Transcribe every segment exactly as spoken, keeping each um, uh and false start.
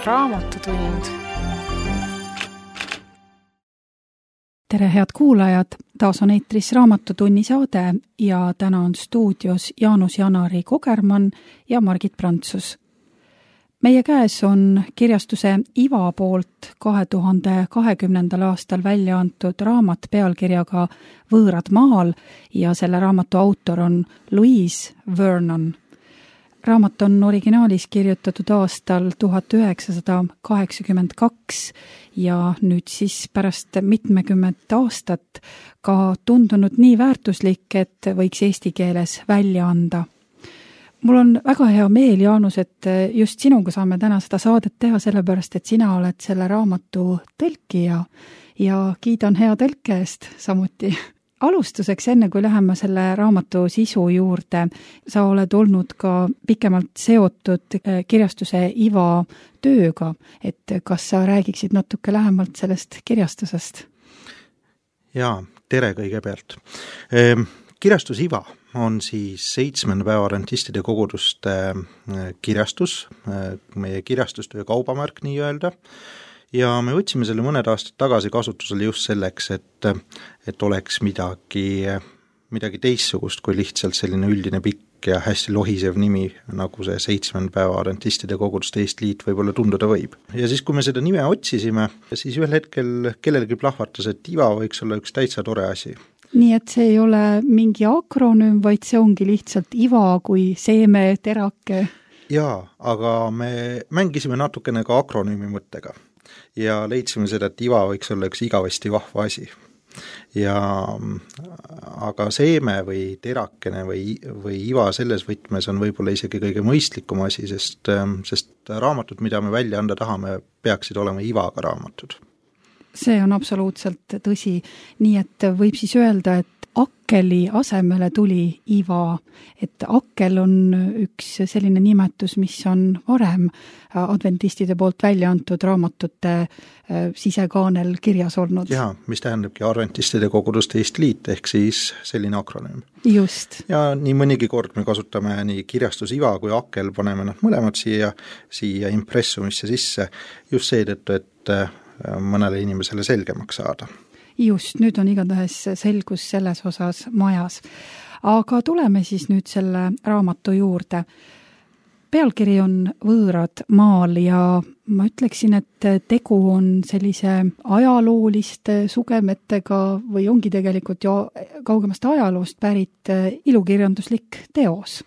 Raamatutund. Tere, head kuulajad! Taas on eetris Raamatutunni saade ja täna on stuudios Jaanus Janari Kogermann ja Margit Prantsus. Meie käes on kirjastuse Iva poolt kahe tuhande kahekümnendal aastal välja antud raamat pealkirjaga Võõrad maal ja selle raamatu autor on Louise Vernon. Raamat on originaalis kirjutatud aastal tuhat üheksasada kaheksakümmend kaks ja nüüd siis pärast mitmekümmet aastat ka tundunud nii väärtuslik, et võiks eesti keeles välja anda. Mul on väga hea meel, Jaanus, et just sinuga saame täna seda saadet teha, sellepärast, et sina oled selle raamatu tõlkija ja kiidan hea tõlke eest samuti. Alustuseks, enne kui läheme selle raamatu sisu juurde, sa oled olnud ka pikemalt seotud kirjastuse Iva tööga, et kas sa räägiksid natuke lähemalt sellest kirjastusest? Jaa, tere kõigepealt. Kirjastus Iva on siis seitsmenda päeva adventistide koguduste kirjastus, meie kirjastustöö kaubamärk nii öelda. Ja me võtsime selle mõned aastad tagasi kasutusele just selleks, et, et oleks midagi, midagi teissugust kui lihtsalt selline üldine pikk ja hästi lohisev nimi, nagu see seitsmenda päeva adventistide koguduste Eestliit võib-olla tunduda võib. Ja siis, kui me seda nime otsisime, siis ühel hetkel kellelgi plahvatas, et Iva võiks olla üks täitsa tore asi. Nii et see ei ole mingi akronüüm, vaid see ongi lihtsalt Iva kui seeme, terake. Jaa, aga me mängisime natukene ka akronüümi mõttega. Ja leidsime seda, et Iva võiks olla üks igavesti vahva asi. Ja, aga seeme või terakene või, või Iva selles võtmes on võib-olla isegi kõige mõistlikum asi, sest, sest raamatud, mida me välja anda tahame, peaksid olema Ivaga raamatud. See on absoluutselt tõsi. Nii et võib siis öelda, et Akkeli asemele tuli Iva, et Akkel on üks selline nimetus, mis on varem adventistide poolt välja antud raamatute sisekaanel kirjas olnud. Jaa, mis tähendabki adventistide koguduste Eestliit, ehk siis selline akronüüm. Just. Ja nii mõnigi kord me kasutame nii kirjastus Iva kui Akkel, paneme nad mõlemad siia, siia impressumisse sisse, just seetõttu, et mõnele inimesele selgemaks saada. Just, nüüd on igatahes selgus selles osas majas. Aga tuleme siis nüüd selle raamatu juurde. Pealkiri on Võõrad maal ja ma ütleksin, et tegu on sellise ajalooliste sugemetega või ongi tegelikult ju kaugemast ajaloost pärit ilukirjanduslik teos.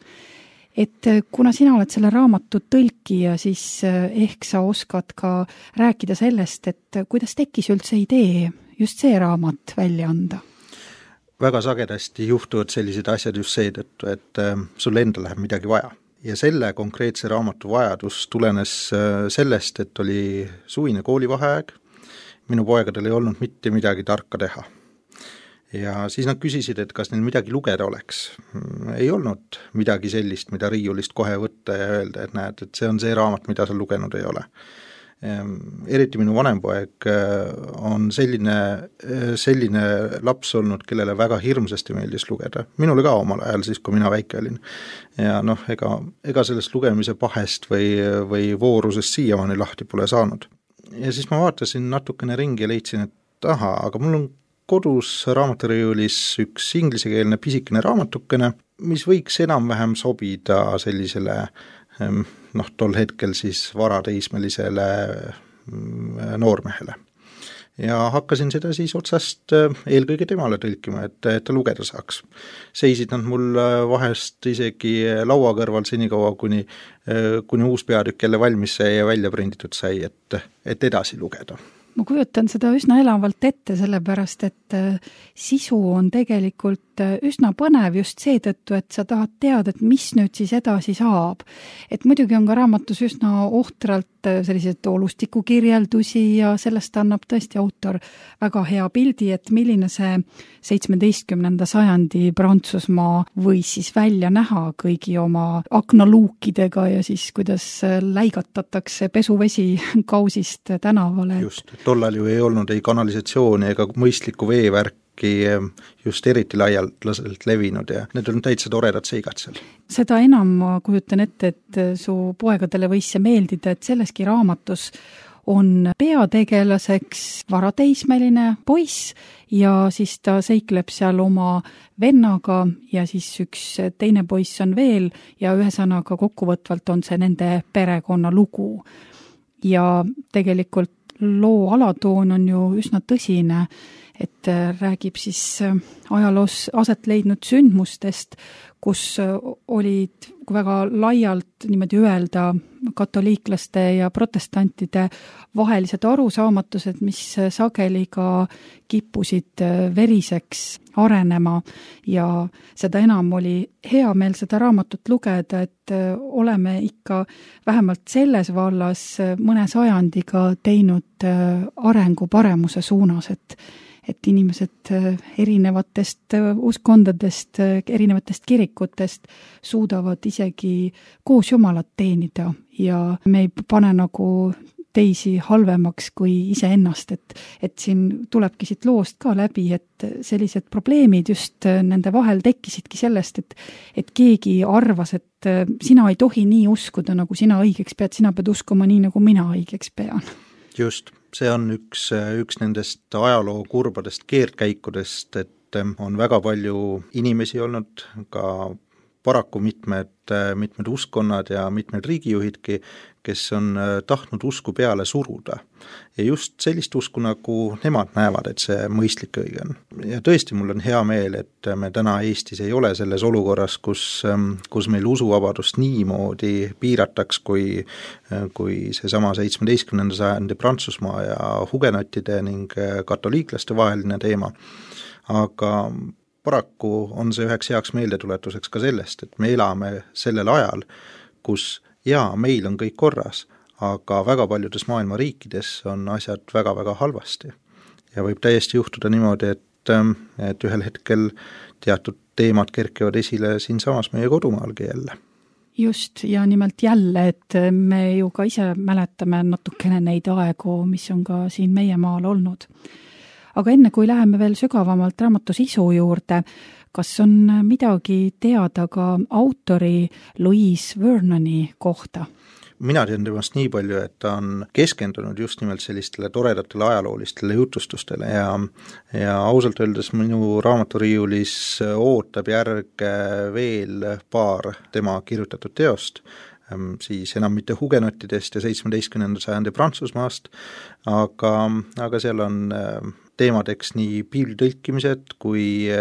Et kuna sina oled selle raamatu tõlkija, siis ehk sa oskad ka rääkida sellest, et kuidas tekkis üldse idee just see raamat välja anda? Väga sagedasti juhtuvad sellised asjad just seetõttu, et sul enda läheb midagi vaja. Ja selle konkreetse raamatu vajadus tulenes sellest, et oli suvine koolivaheaeg, minu poegadel ei olnud mitte midagi tarka teha. Ja siis nad küsisid, et kas neil midagi lugeda oleks. Ei olnud midagi sellist, mida riiulist kohe võtta ja öelda, et näed, et see on see raamat, mida sa lugenud ei ole. Eriti minu vanempoeg on selline, selline laps olnud, kellele väga hirmsasti meeldis lugeda. Minule ka omal ajal siis, kui mina väike olin. Ja noh, ega, ega sellest lugemise pahest või, või voorusest siiamaani lahti pole saanud. Ja siis ma vaatasin natukene ringi ja leidsin, et aha, aga mul on kodus raamaturiiulis üks inglisekeelne pisikene raamatukene, mis võiks enam-vähem sobida sellisele noh, tol hetkel siis varateismelisele noormehele. Ja hakkasin seda siis otsast eelkõige temale tõlkima, et, et ta lugeda saaks. Seisid nad mul vahest isegi laua kõrval senikaua, kuni, kuni uus peatükk jälle valmis sai ja välja prinditud sai, et, et edasi lugeda. Ma kujutan seda üsna elavalt ette, sellepärast, et sisu on tegelikult üsna põnev just seetõttu, et sa tahad teada, et mis nüüd siis edasi saab. Et muidugi on ka raamatus üsna ohtralt sellised olustiku kirjeldusi ja sellest annab tõesti autor väga hea pildi, et milline see seitsmeteistkümnenda sajandi Prantsusmaa võis siis välja näha kõigi oma aknaluukidega ja siis kuidas läigatatakse pesuvesi kausist tänavale. Just, tollal ju ei olnud ei kanalisatsiooni ega mõistlikku veevärk ikkagi just eriti laialdaselt levinud ja need on täitsa toredad seigad seal. Seda enam ma kujutan ette, et su poegadele võis see meeldida, et selleski raamatus on peategelaseks varateismeline poiss ja siis ta seikleb seal oma vennaga ja siis üks teine poiss on veel ja ühesõnaga kokkuvõtvalt on see nende perekonna lugu. Ja tegelikult loo alatoon on ju üsna tõsine, et räägib siis ajaloos aset leidnud sündmustest, kus olid väga laialt niimoodi öelda katoliiklaste ja protestantide vahelised arusaamatused, mis sageli ka kippusid veriseks arenema ja seda enam oli hea meel seda raamatut lugeda, et oleme ikka vähemalt selles vallas mõne sajandiga teinud arengu paremuse suunas, et et inimesed erinevatest uskondadest, erinevatest kirikutest suudavad isegi koos Jumalat teenida ja me ei pane nagu teisi halvemaks kui iseennast, et, et siin tulebki siit loost ka läbi, et sellised probleemid just nende vahel tekkisidki sellest, et, et keegi arvas, et sina ei tohi nii uskuda, nagu sina õigeks pead, sina pead uskuma nii, nagu mina õigeks pean. Just, see on üks, üks nendest ajaloo kurbadest keerdkäikudest, et on väga palju inimesi olnud, ka paraku mitmed, mitmed uskonnad ja mitmed riigijuhidki, kes on tahtnud usku peale suruda. Ja just sellist usku, nagu nemad näevad, et see mõistlik õige on. Ja tõesti, mul on hea meel, et me täna Eestis ei ole selles olukorras, kus, kus meil usuvabadust niimoodi piirataks, kui, kui seesama seitsmeteistkümnenda sajandi Prantsusmaa ja hugenottide ning katoliiklaste vaheline teema. Aga paraku on see üheks heaks meeldetuletuseks ka sellest, et me elame sellel ajal, kus jaa, meil on kõik korras, aga väga paljudes maailma riikides on asjad väga-väga halvasti. Ja võib täiesti juhtuda niimoodi, et, et ühel hetkel teatud teemad kerkivad esile siin samas meie kodumaalgi jälle. Just, ja nimelt jälle, et me ju ka ise mäletame natukene neid aegu, mis on ka siin meie maal olnud. Aga enne kui läheme veel sügavamalt raamatu sisu juurde, kas on midagi teada ka autori Louise Vernoni kohta? Mina tean temast nii palju, et ta on keskendunud just nimelt sellistele toredatele ajaloolistele jutustustele ja, ja ausalt öeldes minu raamaturiiulis ootab järge veel paar tema kirjutatud teost, siis enam mitte hugenottidest ja seitsmeteistkümnenda sajandi Prantsusmaast, aga, aga seal on teemadeks nii piibli tõlkimised kui,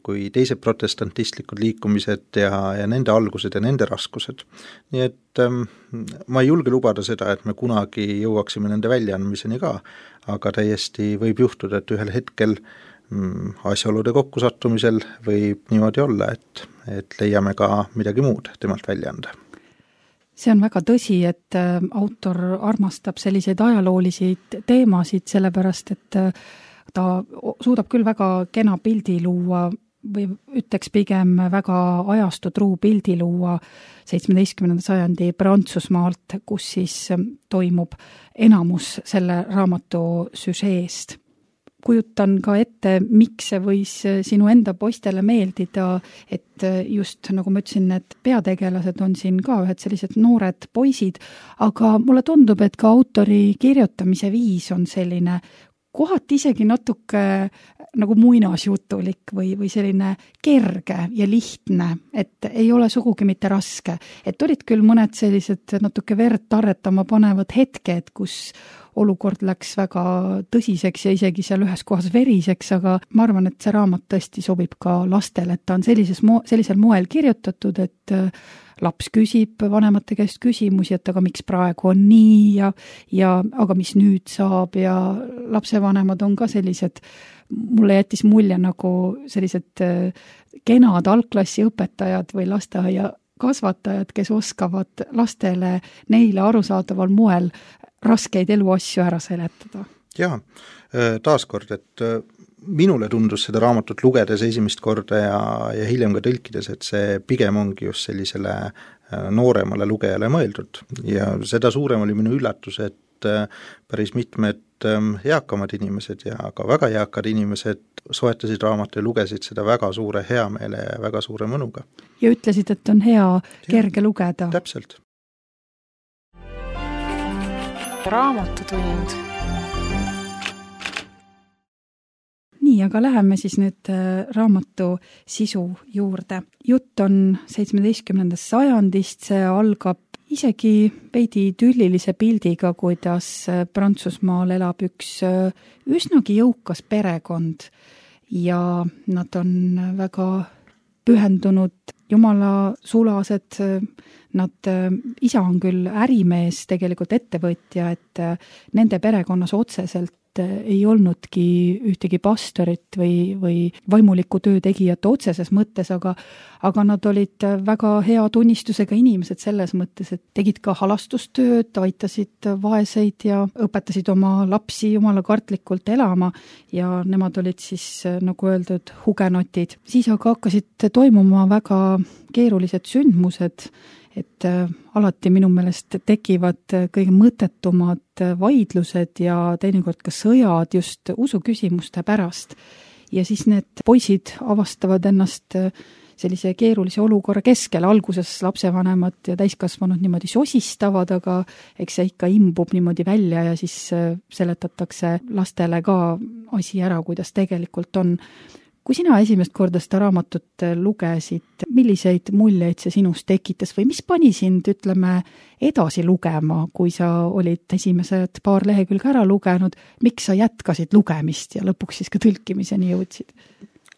kui teised protestantistlikud liikumised ja, ja nende algused ja nende raskused. Nii et ähm, ma ei julge lubada seda, et me kunagi jõuaksime nende väljaandmiseni ka, aga täiesti võib juhtuda, et ühel hetkel mm, asjaolude kokkusattumisel võib niimoodi olla, et, et leiame ka midagi muud temalt välja anda. See on väga tõsi, et autor armastab selliseid ajaloolisi teemasid, sellepärast, et ta suudab küll väga kena pildi luua või ütleks pigem väga ajastutruu pildi luua seitsmeteistkümnenda sajandi Prantsusmaalt, kus siis toimub enamus selle raamatu süžeest. Kujutan ka ette, miks see võis sinu enda poistele meeldida, et just nagu ma ütlesin, et peategelased on siin ka ühed sellised noored poisid, aga mulle tundub, et ka autori kirjutamise viis on selline kohati isegi natuke nagu muinasjutulik või, või selline kerge ja lihtne, et ei ole sugugi mitte raske. Et olid küll mõned sellised natuke verd tarretama panevad hetked, kus olukord läks väga tõsiseks ja isegi seal ühes kohas veriseks, aga ma arvan, et see raamat tõesti sobib ka lastele, et ta on sellises mo- sellisel moel kirjutatud, et laps küsib vanemate käest küsimusi, et aga miks praegu on nii ja, ja aga mis nüüd saab ja lapsevanemad on ka sellised, mulle jättis mulje nagu sellised kenad algklassi õpetajad või lasteaia kasvatajad, kes oskavad lastele neile arusaadaval moel raskeid eluasju ära seletada. Jaa, taaskord, et minule tundus seda raamatut lugedes esimest korda ja, ja hiljem ka tõlkides, et see pigem ongi just sellisele nooremale lugejale mõeldud ja seda suurem oli minu üllatus, et päris mitmed eakamad inimesed ja ka väga eakad inimesed soetasid raamatu ja lugesid seda väga suure heameele ja väga suure mõnuga. Ja ütlesid, et on hea kerge lugeda. Täpselt. Raamatutund. Nii, aga läheme siis nüüd raamatu sisu juurde. Jutt on seitsmeteistkümnendast sajandist, see algab isegi veidi tüllilise pildiga, kuidas Prantsusmaal elab üks üsnagi jõukas perekond ja nad on väga pühendunud jumala sulased, nad, isa on küll ärimees, tegelikult ettevõtja, et nende perekonnas otseselt ei olnudki ühtegi pastorit või, või vaimuliku töö tegijat otseses mõttes, aga, aga nad olid väga hea tunnistusega inimesed selles mõttes, et tegid ka halastustööd, aitasid vaeseid ja õpetasid oma lapsi jumala kartlikult elama ja nemad olid siis, nagu öeldud, hugenotid. Siis aga hakkasid toimuma väga keerulised sündmused, et alati minu meelest tekivad kõige mõttetumad vaidlused ja teinekord ka sõjad just usuküsimuste pärast. Ja siis need poisid avastavad ennast sellise keerulise olukorra keskel. Alguses lapsevanemad ja täiskasvanud niimoodi sosistavad, aga eks see ikka imbub niimoodi välja ja siis seletatakse lastele ka asi ära, kuidas tegelikult on. Kui sina esimest korda seda raamatut lugesid, milliseid muljeid see sinust tekitas või mis pani sind, ütleme, edasi lugema, kui sa olid esimesed paar lehekülge ära lugenud, miks sa jätkasid lugemist ja lõpuks siis ka tõlkimiseni jõudsid?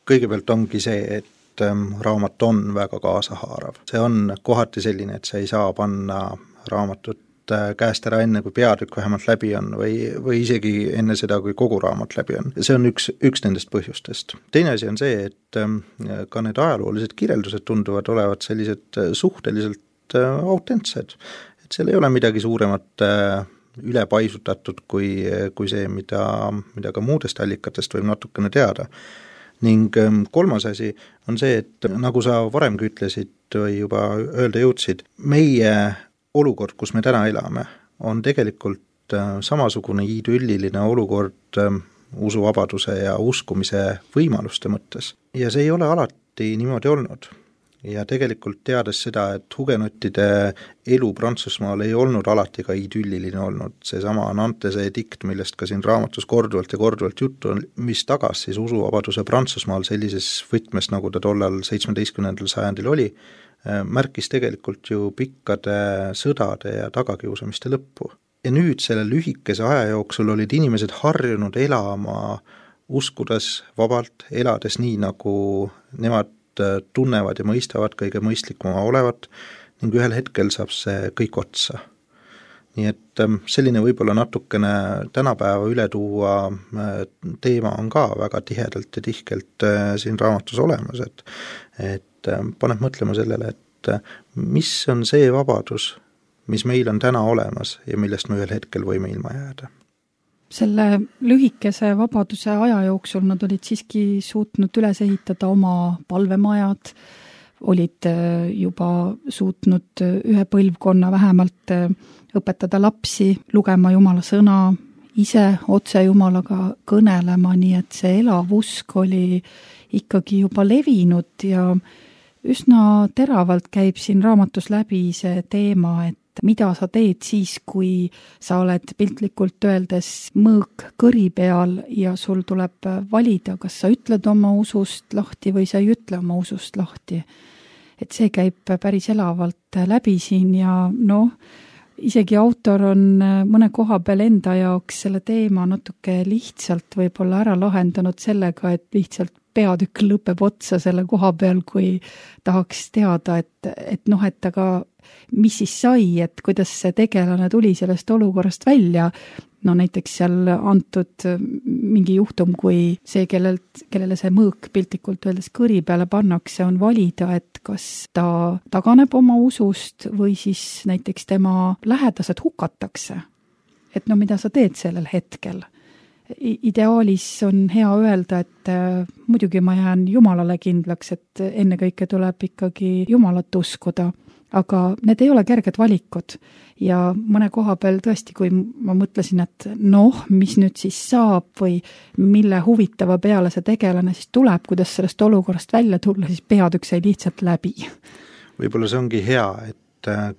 Kõigepealt ongi see, et raamat on väga kaasahaarav. See on kohati selline, et sa ei saa panna raamatut käest ära enne, kui peatükk vähemalt läbi on või, või isegi enne seda, kui kogu raamat läbi on. See on üks, üks nendest põhjustest. Teine asi on see, et ka need ajaloolised kirjeldused tunduvad olevat sellised suhteliselt autentsed. Et seal ei ole midagi suuremat ülepaisutatud kui, kui see, mida, mida ka muudest allikatest võib natukene teada. Ning kolmas asi on see, et nagu sa varemgi ütlesid või juba öelda jõudsid, meie olukord, kus me täna elame, on tegelikult samasugune idülliline olukord usuvabaduse ja uskumise võimaluste mõttes. Ja see ei ole alati niimoodi olnud. Ja tegelikult teades seda, et hugenottide elu Prantsusmaal ei olnud alati ka idülliline olnud, see sama Nantese edikt, millest ka siin raamatus korduvalt ja korduvalt juttu on, mis tagas siis usuvabaduse Prantsusmaal sellises võtmes, nagu ta tollal seitsmeteistkümnendal sajandil oli, märkis tegelikult ju pikkade sõdade ja tagakiusamiste lõppu. Ja nüüd selle lühikese aja jooksul olid inimesed harjunud elama, uskudes vabalt, elades nii, nagu nemad tunnevad ja mõistavad kõige mõistlikuma olevat ning ühel hetkel saab see kõik otsa. Nii et selline võib-olla natukene tänapäeva üle tuua teema on ka väga tihedalt ja tihkelt siin raamatus olemas, et, et paneb mõtlema sellele, et mis on see vabadus, mis meil on täna olemas ja millest me ühel hetkel võime ilma jääda. Selle lühikese vabaduse aja jooksul nad olid siiski suutnud üles ehitada oma palvemajad, olid juba suutnud ühe põlvkonna vähemalt õpetada lapsi, lugema Jumala sõna, ise otse Jumalaga kõnelema, nii et see elav usk oli ikkagi juba levinud ja üsna teravalt käib siin raamatus läbi see teema, et mida sa teed siis, kui sa oled piltlikult öeldes mõõk kõri peal ja sul tuleb valida, kas sa ütled oma usust lahti või sa ei ütle oma usust lahti. Et see käib päris elavalt läbi siin ja noh, isegi autor on mõne koha peal enda jaoks selle teema natuke lihtsalt võib-olla ära lahendanud sellega, et lihtsalt peatükk lõpeb otsa selle koha peal, kui tahaks teada, et, et noh, et aga mis siis sai, et kuidas see tegelane tuli sellest olukorrast välja. No näiteks seal antud mingi juhtum, kui see, kellelt, kellele see mõõk piltlikult öeldes kõri peale pannakse, on valida, et kas ta taganeb oma usust või siis näiteks tema lähedased hukatakse. Et no mida sa teed sellel hetkel? Ideaalis on hea öelda, et muidugi ma jään Jumalale kindlaks, et ennekõike tuleb ikkagi Jumalat uskuda, aga need ei ole kerged valikud ja mõne koha peal tõesti, kui ma mõtlesin, et noh, mis nüüd siis saab või mille huvitava peale see tegelane siis tuleb, kuidas sellest olukorrast välja tulla, siis peatükk sai lihtsalt läbi. Võib-olla see ongi hea, et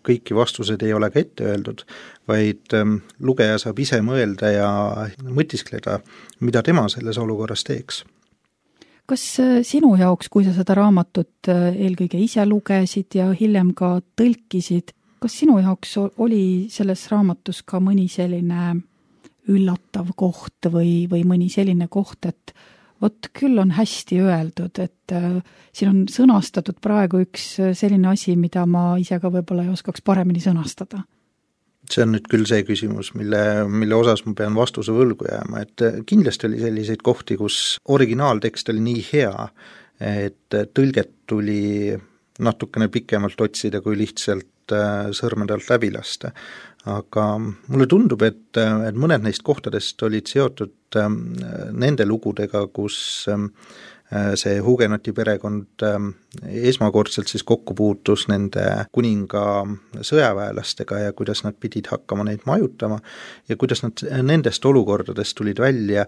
kõiki vastused ei ole ka ette öeldud, vaid lugeja saab ise mõelda ja mõtiskleda, mida tema selles olukorras teeks. Kas sinu jaoks, kui sa seda raamatut eelkõige ise lugesid ja hiljem ka tõlkisid, kas sinu jaoks oli selles raamatus ka mõni selline üllatav koht või, või mõni selline koht, et vot küll on hästi öeldud, et äh, siin on sõnastatud praegu üks selline asi, mida ma ise ka võib-olla ei oskaks paremini sõnastada. See on nüüd küll see küsimus, mille, mille osas ma pean vastuse võlgu jääma, et kindlasti oli selliseid kohti, kus originaaltekst oli nii hea, et tõlget tuli natukene pikemalt otsida, kui lihtsalt sõrmede alt läbi lasta. Aga mulle tundub, et, et mõned neist kohtadest olid seotud nende lugudega, kus see Hugenoti perekond esmakordselt siis kokku puutus nende kuninga sõjaväelastega ja kuidas nad pidid hakkama neid majutama ja kuidas nad nendest olukordadest tulid välja,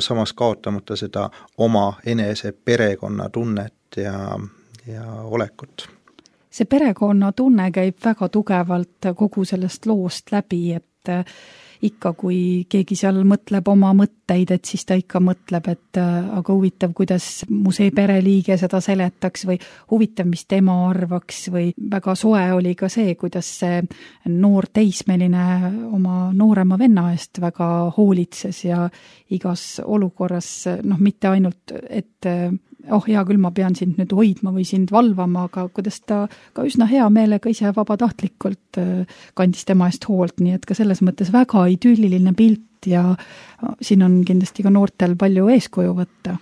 samas kaotamata seda oma enese perekonna tunnet ja, ja olekut. See perekonna tunne käib väga tugevalt kogu sellest loost läbi, et ikka kui keegi seal mõtleb oma mõtteid, et siis ta ikka mõtleb, et aga huvitav, kuidas mu see pereliige seda seletaks või huvitav, mis tema arvaks või väga soe oli ka see, kuidas see noor teismeline oma noorema venna eest väga hoolitses ja igas olukorras, noh mitte ainult, et oh hea küll, ma pean sind nüüd hoidma või sind valvama, aga kuidas ta ka üsna hea meelega ise vabatahtlikult kandis tema eest hoolt, nii et ka selles mõttes väga idülliline pilt ja siin on kindlasti ka noortel palju eeskuju võtta.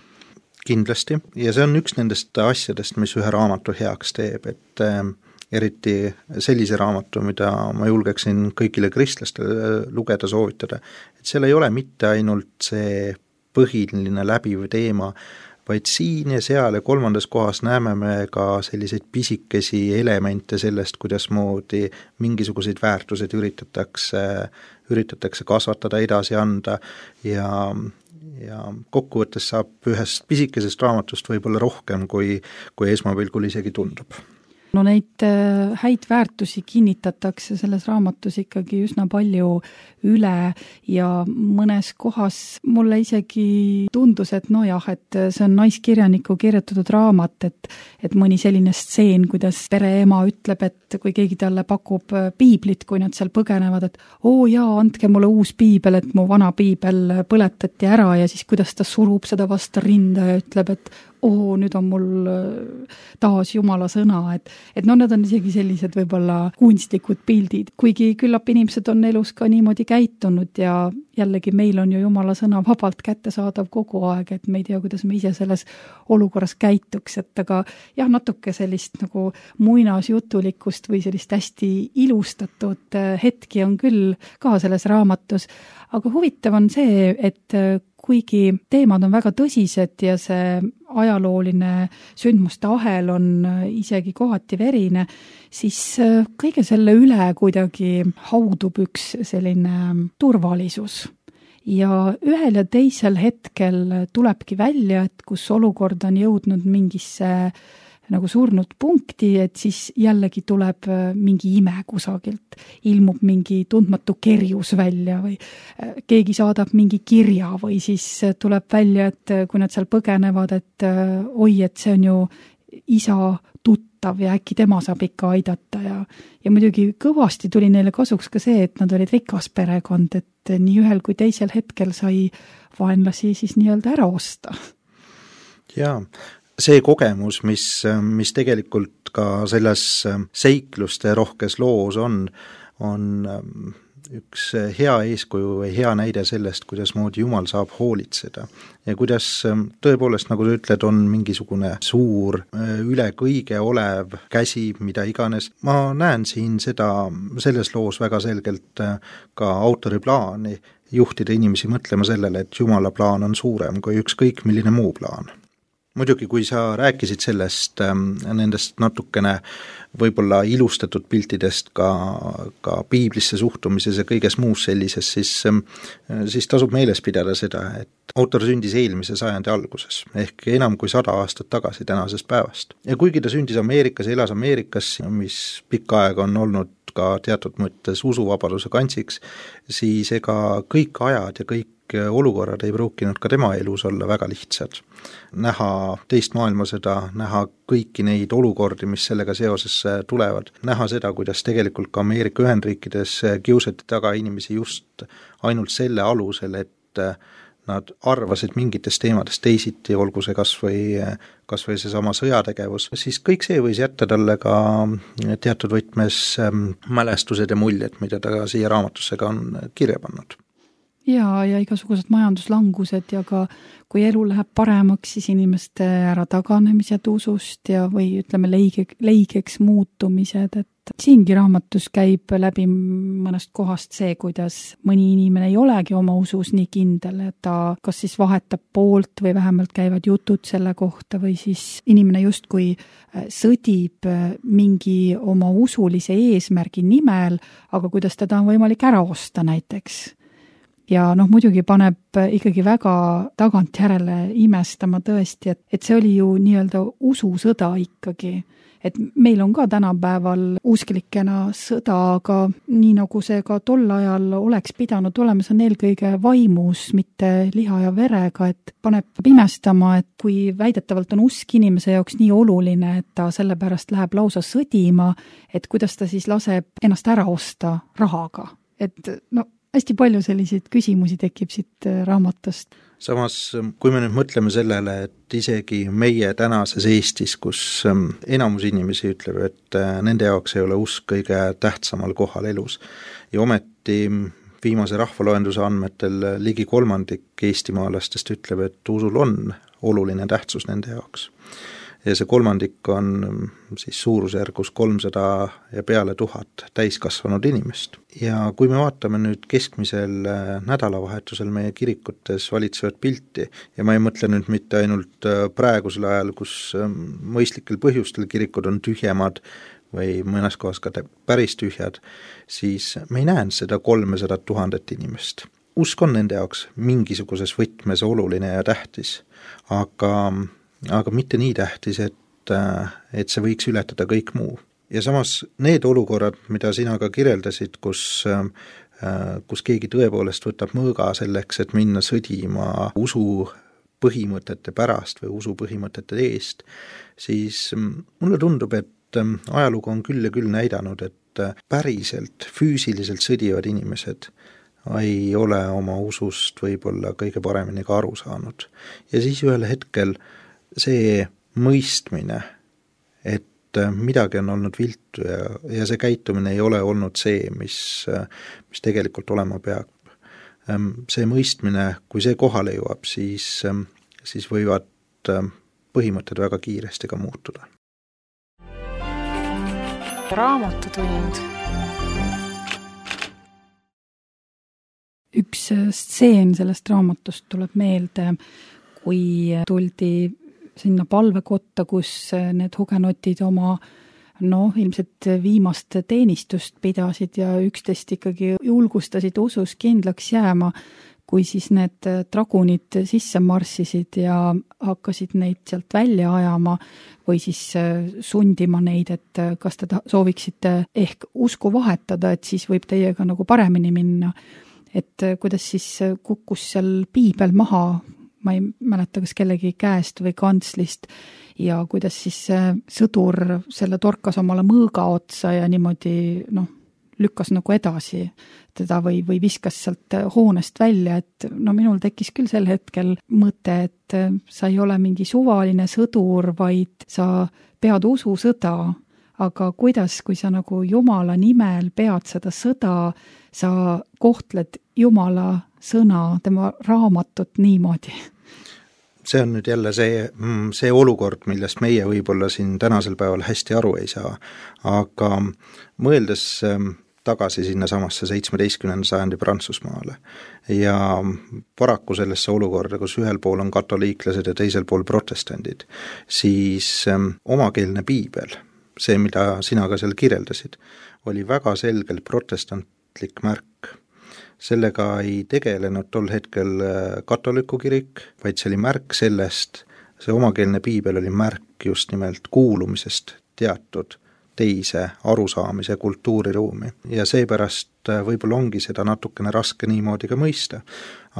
Kindlasti, ja see on üks nendest asjadest, mis ühe raamatu heaks teeb, et eriti sellise raamatu, mida ma julgeksin kõigile kristlastele lugeda, soovitada, et seal ei ole mitte ainult see põhiline läbiv teema, vaid siin ja seal ja kolmandas kohas näeme me ka selliseid pisikesi elemente sellest, kuidas moodi mingisuguseid väärtused üritatakse, üritatakse kasvatada, edasi anda ja, ja kokkuvõttes saab ühest pisikesest raamatust võib-olla rohkem, kui, kui esmapilgul isegi tundub. No neid häid väärtusi kinnitatakse selles raamatus ikkagi üsna palju üle ja mõnes kohas mulle isegi tundus, et nojah, et see on naiskirjaniku kirjutatud raamat, et, et mõni selline stseen, kuidas pereema ütleb, et kui keegi talle pakub piiblit, kui nad seal põgenevad, et oo jaa, andke mulle uus piibel, et mu vana piibel põletati ära ja siis kuidas ta surub seda vastu rinda ja ütleb, et oo, nüüd on mul taas Jumala sõna, et, et no need on isegi sellised võib-olla kunstlikud pildid, kuigi küllap inimesed on elus ka niimoodi käitunud ja jällegi meil on ju Jumala sõna vabalt kättesaadav kogu aeg, et me ei tea, kuidas me ise selles olukorras käituks, et aga jah, natuke sellist nagu muinasjutulikkust või sellist hästi ilustatud hetki on küll ka selles raamatus, aga huvitav on see, et kuigi teemad on väga tõsised ja see ajalooline sündmuste ahel on isegi kohati verine, siis kõige selle üle kuidagi haudub üks selline turvalisus. Ja ühel ja teisel hetkel tulebki välja, et kus olukord on jõudnud mingisse nagu surnud punkti, et siis jällegi tuleb mingi ime kusagilt, ilmub mingi tundmatu kerjus välja või keegi saadab mingi kirja või siis tuleb välja, et kui nad seal põgenevad, et oi, et see on ju isa tuttav ja äkki tema saab ikka aidata ja, ja muidugi kõvasti tuli neile kasuks ka see, et nad olid rikas perekond, et nii ühel kui teisel hetkel sai vaenlasi siis nii-öelda ära osta. Jaa. See kogemus, mis, mis tegelikult ka selles seikluste rohkes loos on, on üks hea eeskuju või hea näide sellest, kuidas moodi Jumal saab hoolitseda. Ja kuidas tõepoolest, nagu sa ütled, on mingisugune suur, üle kõige olev käsi, mida iganes. Ma näen siin seda, selles loos väga selgelt ka autori plaani juhtida inimesi mõtlema sellele, et Jumala plaan on suurem kui ükskõik milline muu plaan. muidugi, kui sa rääkisid sellest, nendest natukene võib-olla ilustatud piltidest ka, ka piiblisse suhtumises ja kõiges muus sellises, siis, siis tasub meeles pidada seda, et autor sündis eelmise sajandi alguses, ehk enam kui sada aastat tagasi tänasest päevast. Ja kuigi ta sündis Ameerikas, elas Ameerikas, mis pikka aega on olnud ka teatud mõttes usuvabaduse kantsiks, siis ega kõik ajad ja kõik olukorrad ei pruukinud ka tema elus olla väga lihtsad. Näha teist maailmasõda, näha kõiki neid olukordi, mis sellega seoses tulevad, näha seda, kuidas tegelikult ka Ameerika Ühendriikides kiusati taga inimesi just ainult selle alusel, et nad arvasid mingitest teemadest teisiti, olgu see kas või, kas või see sama sõjategevus, siis kõik see võis jätta talle ka teatud võtmes mälestused ja muljed, mida ta siia raamatusse ka on kirja pannud. Ja, ja igasugused majanduslangused ja ka kui elu läheb paremaks, siis inimeste ära taganemised usust ja või ütleme leige, leigeks muutumised, et siingi raamatus käib läbi mõnest kohast see, kuidas mõni inimene ei olegi oma usus nii kindel, et ta kas siis vahetab poolt või vähemalt käivad jutud selle kohta või siis inimene justkui sõdib mingi oma usulise eesmärgi nimel, aga kuidas teda on võimalik ära osta näiteks. Ja noh, muidugi paneb ikkagi väga tagantjärele imestama tõesti, et, et see oli ju nii-öelda ususõda ikkagi. Et meil on ka tänapäeval usklikena sõda, aga nii nagu see ka tol ajal oleks pidanud olema, see on eelkõige vaimus, mitte liha ja verega, et paneb imestama, et kui väidetavalt on usk inimese jaoks nii oluline, et ta sellepärast läheb lausa sõdima, et kuidas ta siis laseb ennast ära osta rahaga. Et no hästi palju selliseid küsimusi tekib siit raamatust. Samas, kui me nüüd mõtleme sellele, et isegi meie tänases Eestis, kus enamus inimesi ütleb, et nende jaoks ei ole usk kõige tähtsamal kohal elus ja ometi viimase rahvaloenduse andmetel ligi kolmandik eestimaalastest ütleb, et usul on oluline tähtsus nende jaoks. Ja see kolmandik on siis suurusjärgus kolmsada ja peale tuhat täiskasvanud inimest. Ja kui me vaatame nüüd keskmisel nädalavahetusel meie kirikutes valitsevat pilti, ja ma ei mõtle nüüd mitte ainult praegusel ajal, kus mõistlikel põhjustel kirikud on tühjemad või mõnes kohas ka päris tühjad, siis me ei näe seda kolmesada tuhandet inimest. Usk on nende jaoks mingisuguses võtmes oluline ja tähtis, aga aga mitte nii tähtis, et, et see võiks ületada kõik muu. Ja samas need olukorrad, mida sina ka kirjeldasid, kus, kus keegi tõepoolest võtab mõõga selleks, et minna sõdima usu põhimõtete pärast või usu põhimõtete eest, siis mulle tundub, et ajalugu on küll ja küll näidanud, et päriselt füüsiliselt sõdivad inimesed ei ole oma usust võib-olla kõige paremini ka aru saanud. Ja siis ühel hetkel see mõistmine, et midagi on olnud viltu ja, ja see käitumine ei ole olnud see, mis, mis tegelikult olema peab. See mõistmine, kui see kohale jõuab, siis, siis võivad põhimõtted väga kiiresti ka muutuda. Raamatutund. Üks stseen sellest raamatust tuleb meelde, kui tuldi sinna palvekotta, kus need hugenotid oma noh, ilmselt viimast teenistust pidasid ja üksteist ikkagi julgustasid usus kindlaks jääma, kui siis need dragunid sisse marssisid ja hakkasid neid sealt välja ajama või siis sundima neid, et kas te sooviksite ehk usku vahetada, et siis võib teiega nagu paremini minna. Et kuidas siis kukkus seal piibel maha, ma ei mäleta, kas kellegi käest või kantslist ja kuidas siis sõdur selle torkas omale mõõga otsa ja niimoodi noh, lükkas nagu edasi teda või, või viskas sealt hoonest välja, et no minul tekkis küll sel hetkel mõte, et sa ei ole mingi suvaline sõdur, vaid sa pead ususõda, aga kuidas, kui sa nagu Jumala nimel pead seda sõda, sa kohtled Jumala sõna, tema raamatut niimoodi? See on nüüd jälle see, see olukord, millest meie võib-olla siin tänasel päeval hästi aru ei saa, aga mõeldes tagasi sinna samasse seitsmeteistkümnenda sajandi Prantsusmaale. Ja paraku sellesse olukorda, kus ühel pool on katoliiklased ja teisel pool protestandid, siis omakeelne piibel, see, mida sina ka seal kirjeldasid, oli väga selgelt protestantlik märk. Sellega ei tegelenud tol hetkel katoliku kirik, vaid see oli märk sellest, see omakeelne piibel oli märk just nimelt kuulumisest teatud teise arusaamise kultuuriruumi. Ja seepärast võib-olla ongi seda natukene raske niimoodi ka mõista.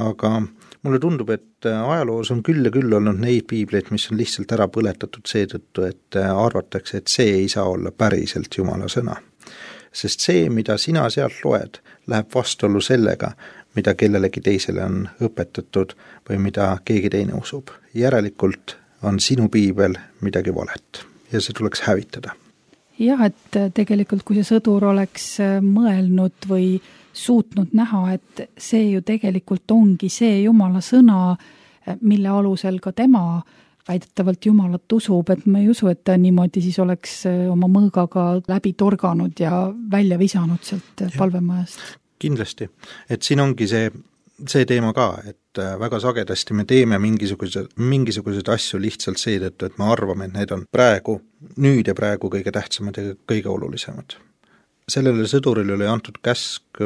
Aga mulle tundub, et ajaloos on küll ja küll olnud neid piibleid, mis on lihtsalt ära põletatud seetõttu, et arvatakse, et see ei saa olla päriselt Jumala sõna. Sest see, mida sina sealt loed, läheb vastuollu sellega, mida kellelegi teisele on õpetatud või mida keegi teine usub. Järelikult on sinu piibel midagi valet ja see tuleks hävitada. Jah, et tegelikult kui see sõdur oleks mõelnud või suutnud näha, et see ju tegelikult ongi see Jumala sõna, mille alusel ka tema väidetavalt Jumalat usub, et ma ei usu, et ta niimoodi siis oleks oma mõõgaga läbi torganud ja välja visanud sealt palvemajast. Kindlasti, et siin ongi see, see teema ka, et väga sagedasti me teeme mingisugused, mingisugused asju lihtsalt seetõttu, et me arvame, et need on praegu, nüüd ja praegu kõige tähtsamad ja kõige olulisemad. Sellele sõduril oli antud käsk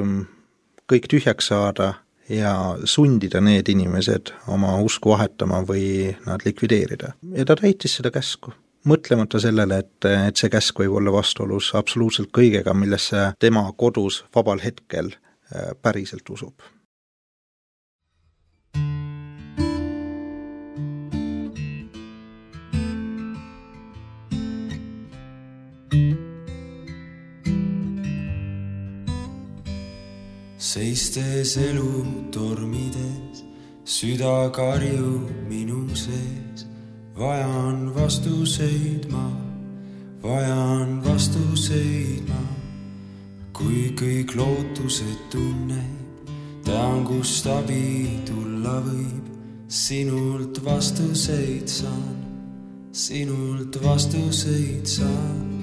kõik tühjaks saada ja sundida need inimesed oma usku vahetama või nad likvideerida. Ja ta täitis seda käsku, mõtlemata sellele, et, et see käsk võib olla vastuolus absoluutselt kõigega, millesse tema kodus vabal hetkel päriselt usub. Seistes elu tormides, süda karjub minu sees. Vajan vastuseid ma, vajan vastuseid ma. Kui kõik lootused tunneb, tean, kust abi tulla võib. Sinult vastuseid saan, sinult vastuseid saan.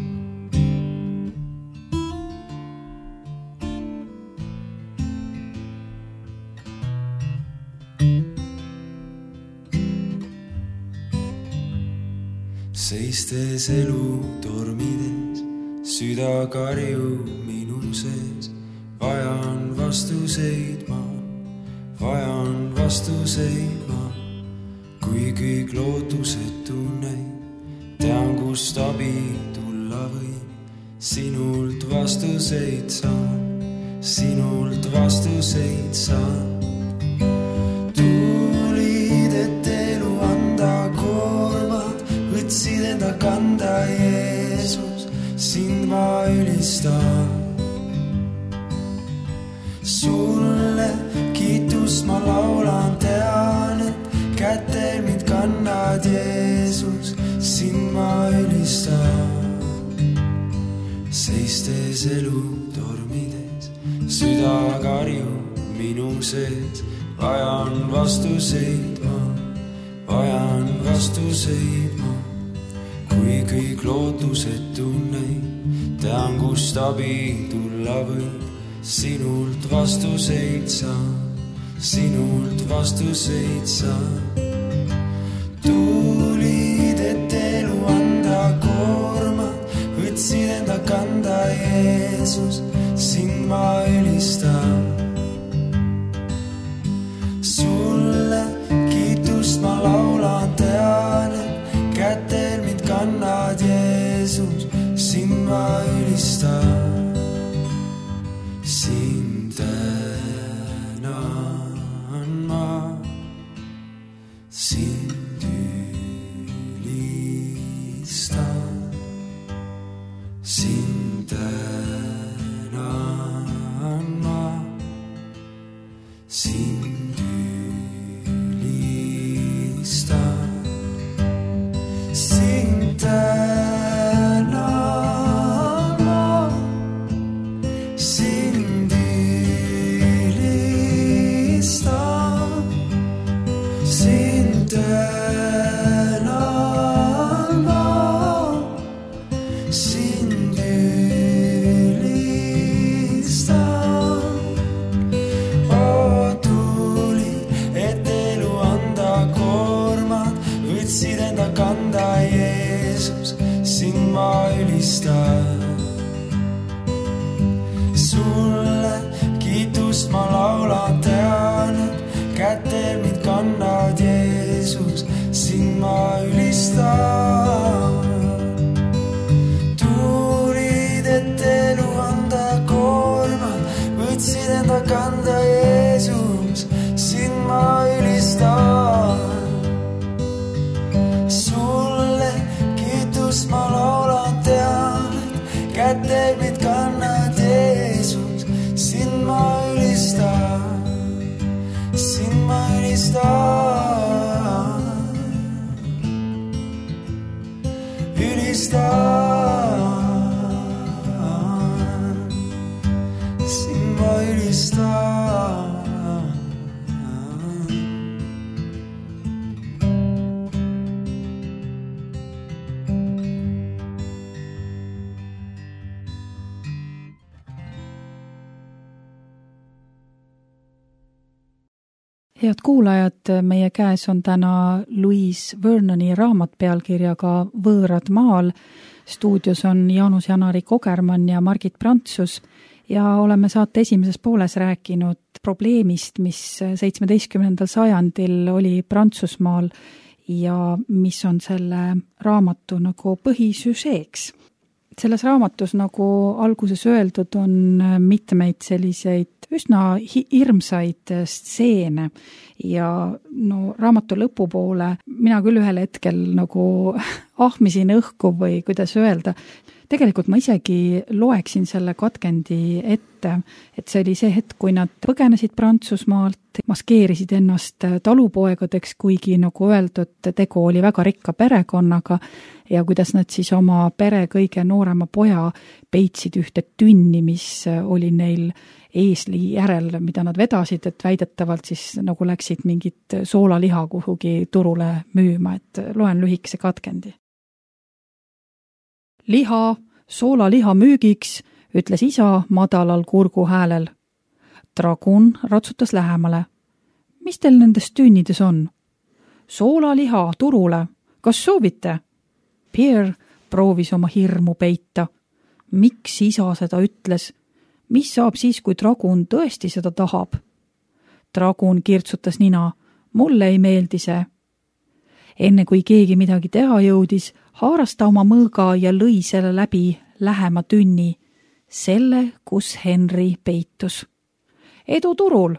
Seistes elu tormides, süda karjub minu sees. Vajan vastuseid ma, vajan vastuseid ma. Kui kõik lootused tunneb, tean, kust abi tulla võib. Sinult vastuseid saan, sinult vastuseid saan. Tulid, et elu anda koormad, võtsid enda kanda Jeesus, sind ma ülistan. Sulle kiitust ma laulan, tean, et kätel mind kannad Jeesus, sind ma ülistan. Seistes elu tormides, süda karjub minu sees. Vajan vastuseid ma, vajan vastuseid ma. Kui kõik lootused tunneb, tean, kust abi tulla võib. Sinult vastuseid saan, sinult vastuseid saan. Tulid, et elu anda koormad, võtsid enda kanda Jeesus, sind ma ülistan. Sulle kiitust ma laulan, tean, et kätel mind kannad Jeesus, sind ma ülistan. Sind tänan ma, sind ülistan. Sind tänan ma, sind ülistan. Sind tänan ma, sind ülistan. Sind tänan annad Jeesus, sind ma ülistan. Tulid, et elu anda koormad, võtsid enda kanda Jeesus, sind ma ülistan. Sulle kiitus ma laulan, tean, et kätte mind kannad Jeesus, sind ma ülistan, sind ma ülistan, ülistan, sind ma ülistan. Head kuulajad, meie käes on täna Louise Vernoni raamat pealkirjaga Võõrad maal. Stuudios on Jaanus Janari Kogermann ja Margit Prantsus ja oleme saate esimeses pooles rääkinud probleemist, mis seitsmeteistkümnendal sajandil oli Prantsusmaal ja mis on selle raamatu nagu põhisüžeeks. Selles raamatus, nagu alguses öeldud, on mitmeid selliseid üsna hirmsaid stseene ja no raamatu lõpupoole mina küll ühel hetkel nagu ahmisin õhku või kuidas öelda. Tegelikult ma isegi loeksin selle katkendi ette, et see oli see hetk, kui nad põgenesid Prantsusmaalt, maskeerisid ennast talupoegadeks, kuigi nagu öeldud, tegu oli väga rikka perekonnaga ja kuidas nad siis oma pere kõige noorema poja peitsid ühte tünni, mis oli neil eesli järel, mida nad vedasid, et väidetavalt siis nagu läksid mingit soolaliha kuhugi turule müüma, et loen lühikese katkendi. Liha, soolaliha müügiks, ütles isa madalal kurgu häälel. Dragun ratsutas lähemale. Mis teil nendes tünnides on? Soolaliha turule. Kas soovite? Pierre proovis oma hirmu peita. Miks isa seda ütles? Mis saab siis, kui Dragun tõesti seda tahab? Dragun kirtsutas nina. Mulle ei meeldi see. Enne kui keegi midagi teha jõudis, haaras ta oma mõõga ja lõi selle läbi lähema tünni, selle, kus Henry peitus. Edu turul,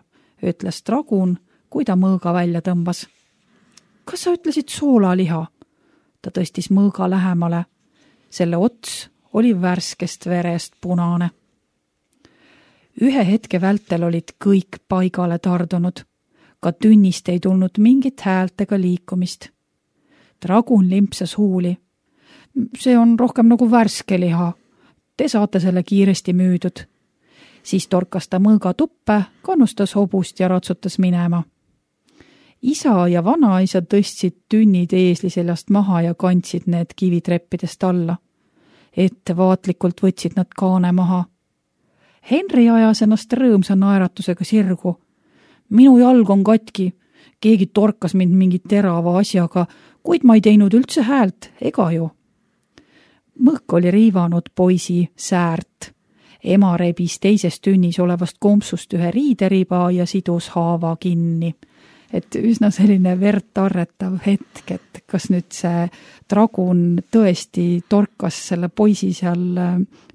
ütles Dragun, kui ta mõõga välja tõmbas. Kas sa ütlesid soolaliha? Ta tõstis mõõga lähemale. Selle ots oli värskest verest punane. Ühe hetke vältel olid kõik paigale tardunud. Ka tünnist ei tulnud mingit häält ega liikumist. Dragun limpsas huuli. See on rohkem nagu värske liha. Te saate selle kiiresti müüdud. Siis torkas ta mõõga tuppe, kannustas hobust ja ratsutas minema. Isa ja vanaisa tõstsid tünnid eesli seljast maha ja kandsid need kivitreppidest alla. Ettevaatlikult võtsid nad kaane maha. Henry ajas ennast rõõmsa naeratusega sirgu. Minu jalg on katki. Keegi torkas mind mingi terava asjaga, kuid ma ei teinud üldse häält, ega ju. Mõõk oli riivanud poisi säärt. Ema rebis teises tünnis olevast kompsust ühe riideriba ja sidus haava kinni. Et üsna selline verd arretav hetk, et kas nüüd see Dragun tõesti torkas selle poisi seal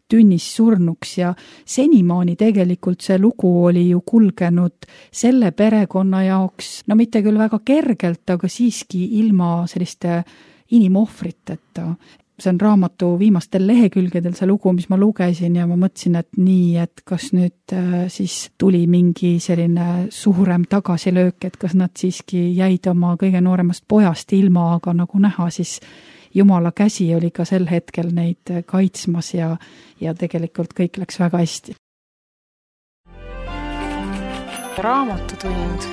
tünnis surnuks ja senimaani tegelikult see lugu oli ju kulgenud selle perekonna jaoks, no mitte küll väga kergelt, aga siiski ilma selliste inimohvriteta. See on raamatu viimastel lehekülgedel see lugu, mis ma lugesin ja ma mõtlesin, et nii, et kas nüüd siis tuli mingi selline suurem tagasilöök, et kas nad siiski jäid oma kõige nooremast pojast ilma, aga nagu näha, siis Jumala käsi oli ka sel hetkel neid kaitsmas ja, ja tegelikult kõik läks väga hästi. Raamatutund.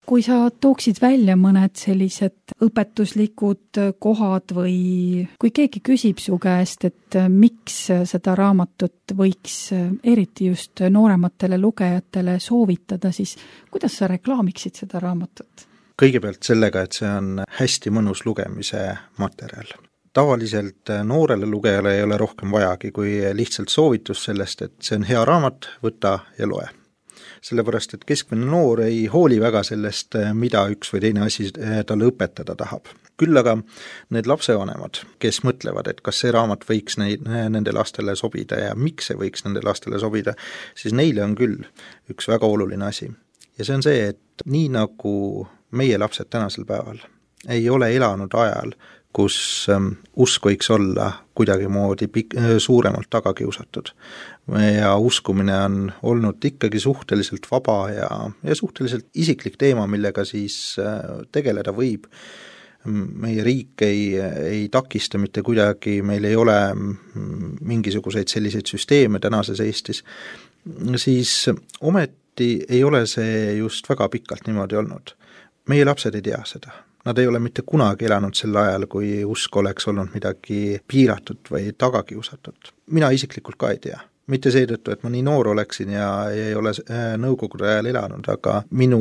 Kui sa tooksid välja mõned sellised õpetuslikud kohad või kui keegi küsib su käest, et miks seda raamatut võiks eriti just noorematele lugejatele soovitada, siis kuidas sa reklaamiksid seda raamatut? Kõigepealt sellega, et see on hästi mõnus lugemise materjal. Tavaliselt noorele lugejale ei ole rohkem vajagi kui lihtsalt soovitus sellest, et see on hea raamat, võta ja loe. sellepärast et keskmine noor ei hooli väga sellest, mida üks või teine asi talle õpetada tahab. Küll aga need lapsevanemad, kes mõtlevad, et kas see raamat võiks neid, nende lastele sobida ja miks see võiks nende lastele sobida, siis neile on küll üks väga oluline asi. Ja see on see, et nii nagu meie lapsed tänasel päeval ei ole elanud ajal, kus usk võiks olla kuidagi moodi pik- suuremalt taga kiusatud. Ja uskumine on olnud ikkagi suhteliselt vaba ja, ja suhteliselt isiklik teema, millega siis tegeleda võib. Meie riik ei, ei takista mitte kuidagi, meil ei ole mingisuguseid selliseid süsteeme tänases Eestis, siis ometi ei ole see just väga pikalt niimoodi olnud. Meie lapsed ei tea seda. Nad ei ole mitte kunagi elanud sel ajal, kui usk oleks olnud midagi piiratud või tagakiusatud. Mina isiklikult ka ei tea. Mitte seetõttu, et ma nii noor oleksin ja ei ole nõukogude ajal elanud, aga minu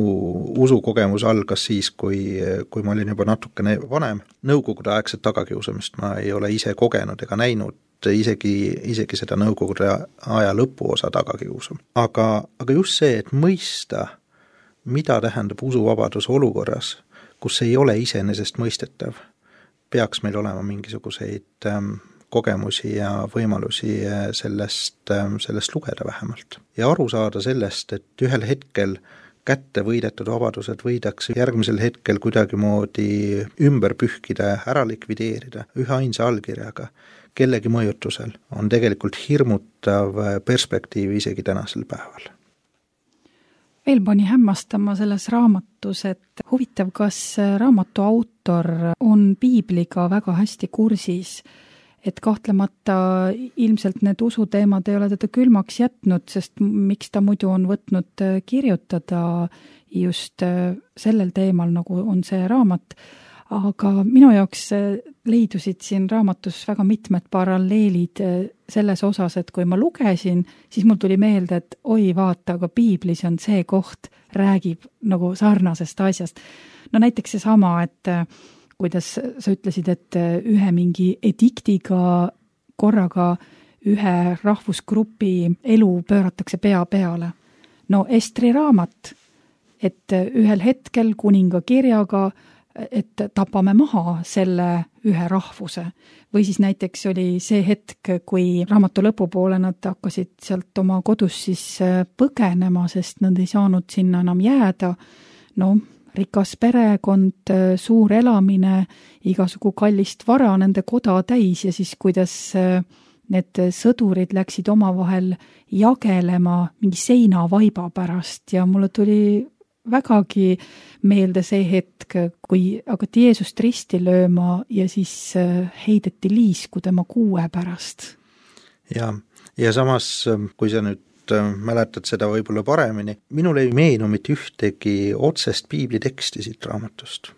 usukogemus algas siis, kui, kui ma olin juba natukene vanem. Nõukogude aegset tagakiusamist ma ei ole ise kogenud ega näinud, isegi, isegi seda nõukogude aja lõpuosa tagakiusu. Aga, aga just see, et mõista, mida tähendab usuvabadus olukorras, kus ei ole iseenesest mõistetav, peaks meil olema mingisuguseid ähm, kogemusi ja võimalusi sellest, sellest lugeda vähemalt. Ja aru saada sellest, et ühel hetkel kätte võidetud vabadused võidakse järgmisel hetkel kuidagi moodi ümber pühkida, ära likvideerida ühe ainsa allkirjaga, kellegi mõjutusel, on tegelikult hirmutav perspektiiv isegi tänasel päeval. Veel pani hämmastama selles raamatus, et huvitav, kas raamatu autor on piibliga väga hästi kursis, et kahtlemata ilmselt need usuteemad ei ole teda külmaks jätnud, sest miks ta muidu on võtnud kirjutada just sellel teemal, nagu on see raamat. Aga minu jaoks leidusid siin raamatus väga mitmed paralleelid selles osas, et kui ma lugesin, siis mul tuli meelde, et oi vaata, aga piiblis on see koht, räägib nagu sarnasest asjast. No näiteks see sama, et kuidas sa ütlesid, et ühe mingi ediktiga korraga ühe rahvusgrupi elu pööratakse pea peale. No Estri raamat, et ühel hetkel kuninga kirjaga, et tapame maha selle ühe rahvuse. Või siis näiteks oli see hetk, kui raamatu lõpupoole nad hakkasid sealt oma kodus siis põgenema, sest nad ei saanud sinna enam jääda. No rikas perekond, suur elamine, igasugu kallist vara, nende koda täis ja siis kuidas need sõdurid läksid omavahel jagelema mingi seinavaiba pärast ja mulle tuli vägagi meelde see hetk, kui hakati Jeesust risti lööma ja siis heideti liisku tema kuue pärast. Ja, ja samas, kui sa nüüd mäletad seda võib-olla paremini, minul ei meenu mitte ühtegi otsest piibli teksti siit raamatust.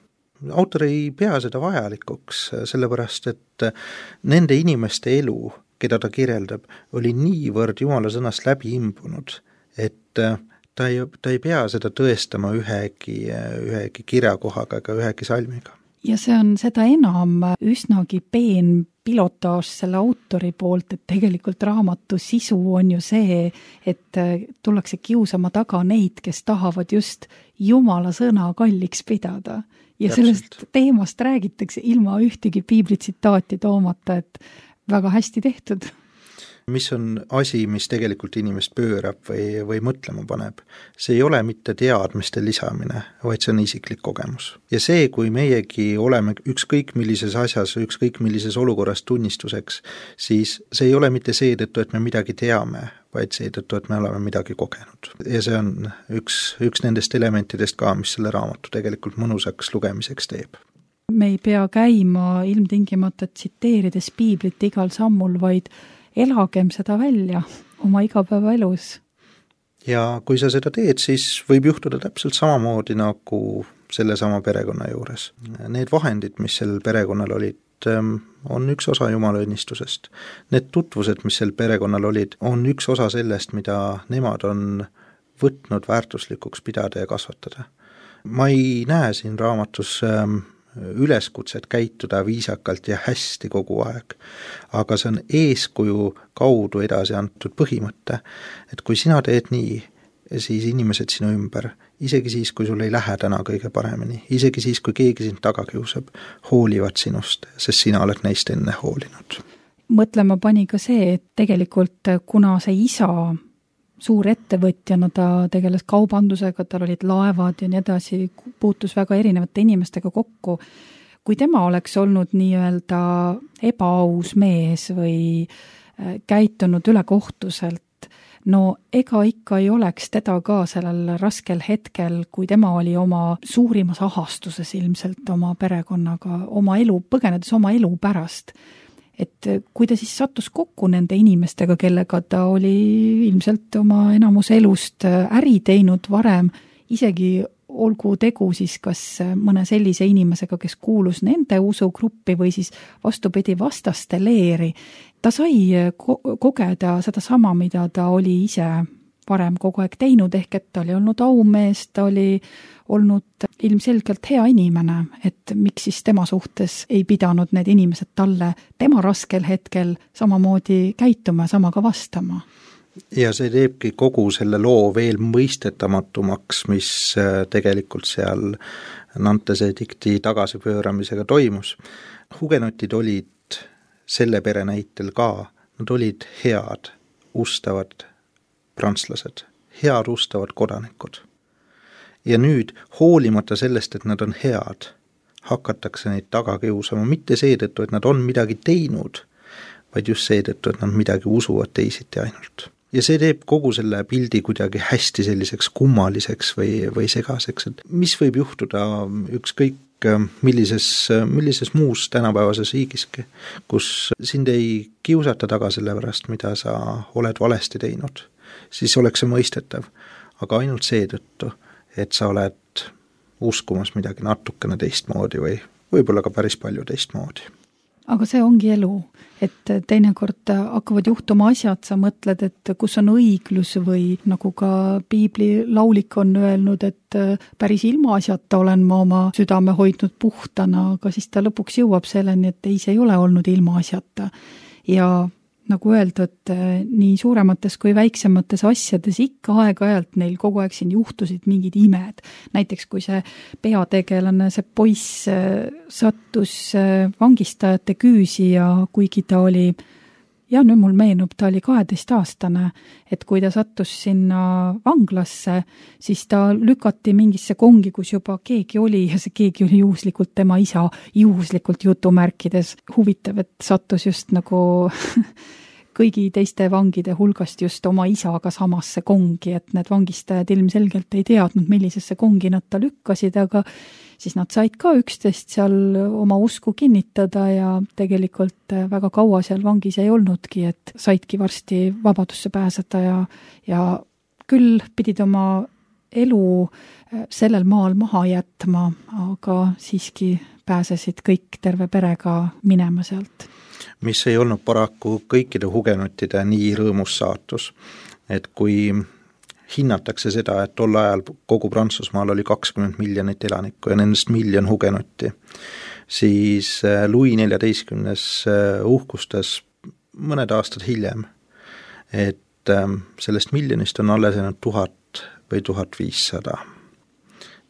Autor ei pea seda vajalikuks, sellepärast, et nende inimeste elu, keda ta kirjeldab, oli niivõrd Jumala sõnast läbi imbunud, et ta ei, ta ei pea seda tõestama ühegi, ühegi kirjakohaga ega ühegi salmiga. Ja see on seda enam üsnagi peen pilotaaž selle autori poolt, et tegelikult raamatu sisu on ju see, et tullakse kiusama taga neid, kes tahavad just Jumala sõna kalliks pidada. Ja Täpselt. Sellest teemast räägitakse ilma ühtegi piiblitsitaati toomata, et väga hästi tehtud. Mis on asi, mis tegelikult inimest pöörab või, või mõtlema paneb. See ei ole mitte teadmiste lisamine, vaid see on isiklik kogemus. Ja see, kui meiegi oleme ükskõik millises asjas, ükskõik millises olukorras tunnistuseks, siis see ei ole mitte seetõttu, et me midagi teame, vaid seetõttu, et me oleme midagi kogenud. Ja see on üks, üks nendest elementidest ka, mis selle raamatu tegelikult mõnusaks lugemiseks teeb. Me ei pea käima ilmtingimata tsiteerides piiblit igal sammul, vaid elagem seda välja oma igapäevaelus. Ja kui sa seda teed, siis võib juhtuda täpselt samamoodi nagu sellesama perekonna juures. Need vahendid, mis sel perekonnal olid, on üks osa Jumala õnnistusest. Need tutvused, mis sel perekonnal olid, on üks osa sellest, mida nemad on võtnud väärtuslikuks pidada ja kasvatada. Ma ei näe siin raamatus üleskutset käituda viisakalt ja hästi kogu aeg. Aga see on eeskuju kaudu edasi antud põhimõte, et kui sina teed nii, siis inimesed sinu ümber, isegi siis, kui sul ei lähe täna kõige paremini, isegi siis, kui keegi sind taga kiusab, hoolivad sinust, sest sina oled neist enne hoolinud. Mõtlema pani ka see, et tegelikult kuna see isa suur ettevõtjana, ta tegeles kaubandusega, tal olid laevad ja nii edasi, puutus väga erinevate inimestega kokku. Kui tema oleks olnud nii-öelda ebaaus mees või käitunud ülekohtuselt, no ega ikka ei oleks teda ka sellel raskel hetkel, kui tema oli oma suurimas ahastuses ilmselt oma perekonnaga, oma elu, põgenedes oma elu pärast. Et kui ta siis sattus kokku nende inimestega, kellega ta oli ilmselt oma enamus elust äri teinud varem, isegi olgu tegu siis kas mõne sellise inimesega, kes kuulus nende usugruppi või siis vastupidi vastaste leeri, ta sai ko- kogeda seda sama, mida ta oli ise varem kogu aeg teinud, ehk et ta oli olnud aumees, ta oli olnud ilmselgelt hea inimene, et miks siis tema suhtes ei pidanud need inimesed talle tema raskel hetkel samamoodi käituma, samaga vastama. Ja see teebki kogu selle loo veel mõistetatumaks, mis tegelikult seal Nantese dikti tagasipööramisega toimus. Hugenotid olid selle pere näitel ka, nad olid head, ustavad prantslased, head ustavad kodanikud. Ja nüüd, hoolimata sellest, et nad on head, hakatakse neid taga kiusama, mitte seetõttu, et nad on midagi teinud, vaid just seetõttu, et nad midagi usuvad teisiti ainult. Ja see teeb kogu selle pildi kuidagi hästi selliseks kummaliseks või, või segaseks, et mis võib juhtuda ükskõik millises, millises muus tänapäevases riigiski, kus sind ei kiusata taga selle pärast, mida sa oled valesti teinud, siis oleks see mõistetav, aga ainult seetõttu, et sa oled uskumas midagi natukene teistmoodi või võib-olla ka päris palju teistmoodi. Aga see ongi elu, et teinekord hakkavad juhtuma asjad, sa mõtled, et kus on õiglus või nagu ka piibli laulik on öelnud, et päris ilma asjata olen ma oma südame hoidnud puhtana, aga siis ta lõpuks jõuab selleni, et ei, see ei ole olnud ilma asjata. Ja nagu öeldud, nii suuremates kui väiksemates asjades ikka aeg-ajalt neil kogu aeg siin juhtusid mingid imed. Näiteks kui see peategelane, see poiss sattus vangistajate küüsi ja kuigi ta oli, ja nüüd mul meenub, ta oli kaheteistaastane, et kui ta sattus sinna vanglasse, siis ta lükati mingisse kongi, kus juba keegi oli ja see keegi oli juhuslikult tema isa, juhuslikult jutumärkides. Huvitav, et sattus just nagu kõigi teiste vangide hulgast just oma isaga samasse kongi, et need vangistajad ilmselgelt ei teadnud, millisesse kongi nad ta lükkasid, aga siis nad said ka üksteist seal oma usku kinnitada ja tegelikult väga kaua seal vangis ei olnudki, et saidki varsti vabadusse pääseda ja, ja küll pidid oma elu sellel maal maha jätma, aga siiski pääsesid kõik terve perega minema sealt. Mis ei olnud paraku kõikide hugenotide nii rõõmus saatus, et kui hinnatakse seda, et tol ajal kogu Prantsusmaal oli kakskümmend miljonit elanikku ja nendest miljon hugenotti, siis Louis neljateistkümnes uhkustas mõned aastad hiljem, et sellest miljonist on alles jäänud tuhat või tuhat viissada.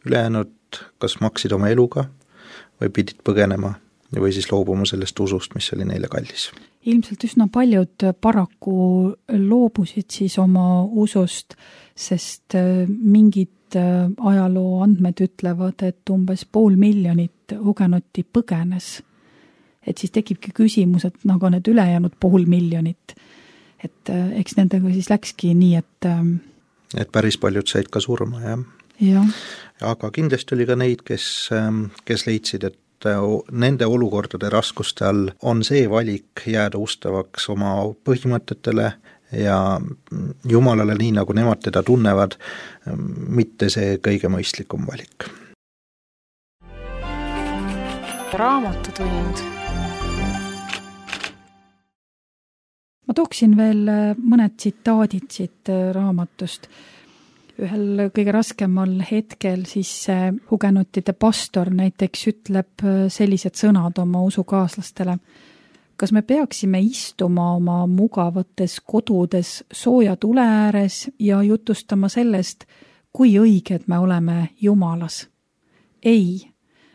Ülejäänud kas maksid oma eluga või pidid põgenema või siis loobuma sellest usust, mis oli neile kallis. Ilmselt üsna paljud paraku loobusid siis oma usust, sest mingid ajaloo andmed ütlevad, et umbes pool miljonit hugenotti põgenes. Et siis tekibki küsimus, et nagu need ülejäänud pool miljonit, et eks nendega siis läkski nii, et et päris paljud said ka surma, jah. Ja. Aga kindlasti oli ka neid, kes, kes leidsid, et nende olukordade raskuste all on see valik jääda ustavaks oma põhimõtetele ja Jumalale nii, nagu nemad teda tunnevad, mitte see kõige mõistlikum valik. Raamatutund. Ma tooksin veel mõned tsitaadid siit raamatust. Ühel kõige raskemal hetkel siis hugenotide pastor näiteks ütleb sellised sõnad oma usukaaslastele. kas me peaksime istuma oma mugavates kodudes sooja tule ääres ja jutustama sellest, kui õiged me oleme Jumalas? Ei,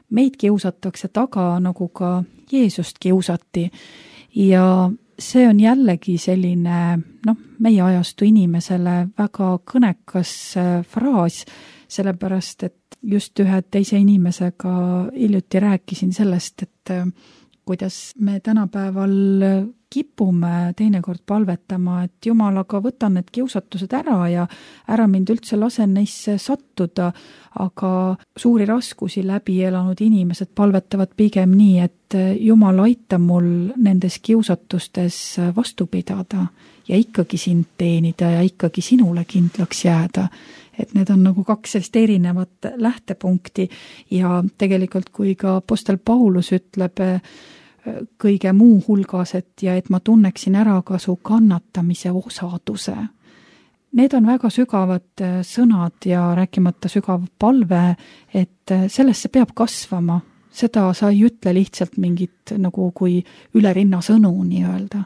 meid kiusatakse taga, nagu ka Jeesust kiusati ja see on jällegi selline, noh, meie ajastu inimesele väga kõnekas fraas, sellepärast, et just ühe teise inimesega hiljuti rääkisin sellest, et kuidas me tänapäeval kipume teinekord palvetama, et Jumal, aga võtan need kiusatused ära ja ära mind üldse lasen neisse sattuda, aga suuri raskusi läbi elanud inimesed palvetavad pigem nii, et Jumal, aita mul nendes kiusatustes vastu pidada ja ikkagi sind teenida ja ikkagi sinule kindlaks jääda. Et need on nagu kaks sellist erinevat lähtepunkti ja tegelikult kui ka apostel Paulus ütleb kõige muu hulgas, et ja et ma tunneksin ära ka su kannatamise osaduse. Need on väga sügavad sõnad ja rääkimata sügav palve, et sellesse peab kasvama. Seda sa ei ütle lihtsalt mingit nagu kui üle rinna sõnu nii öelda.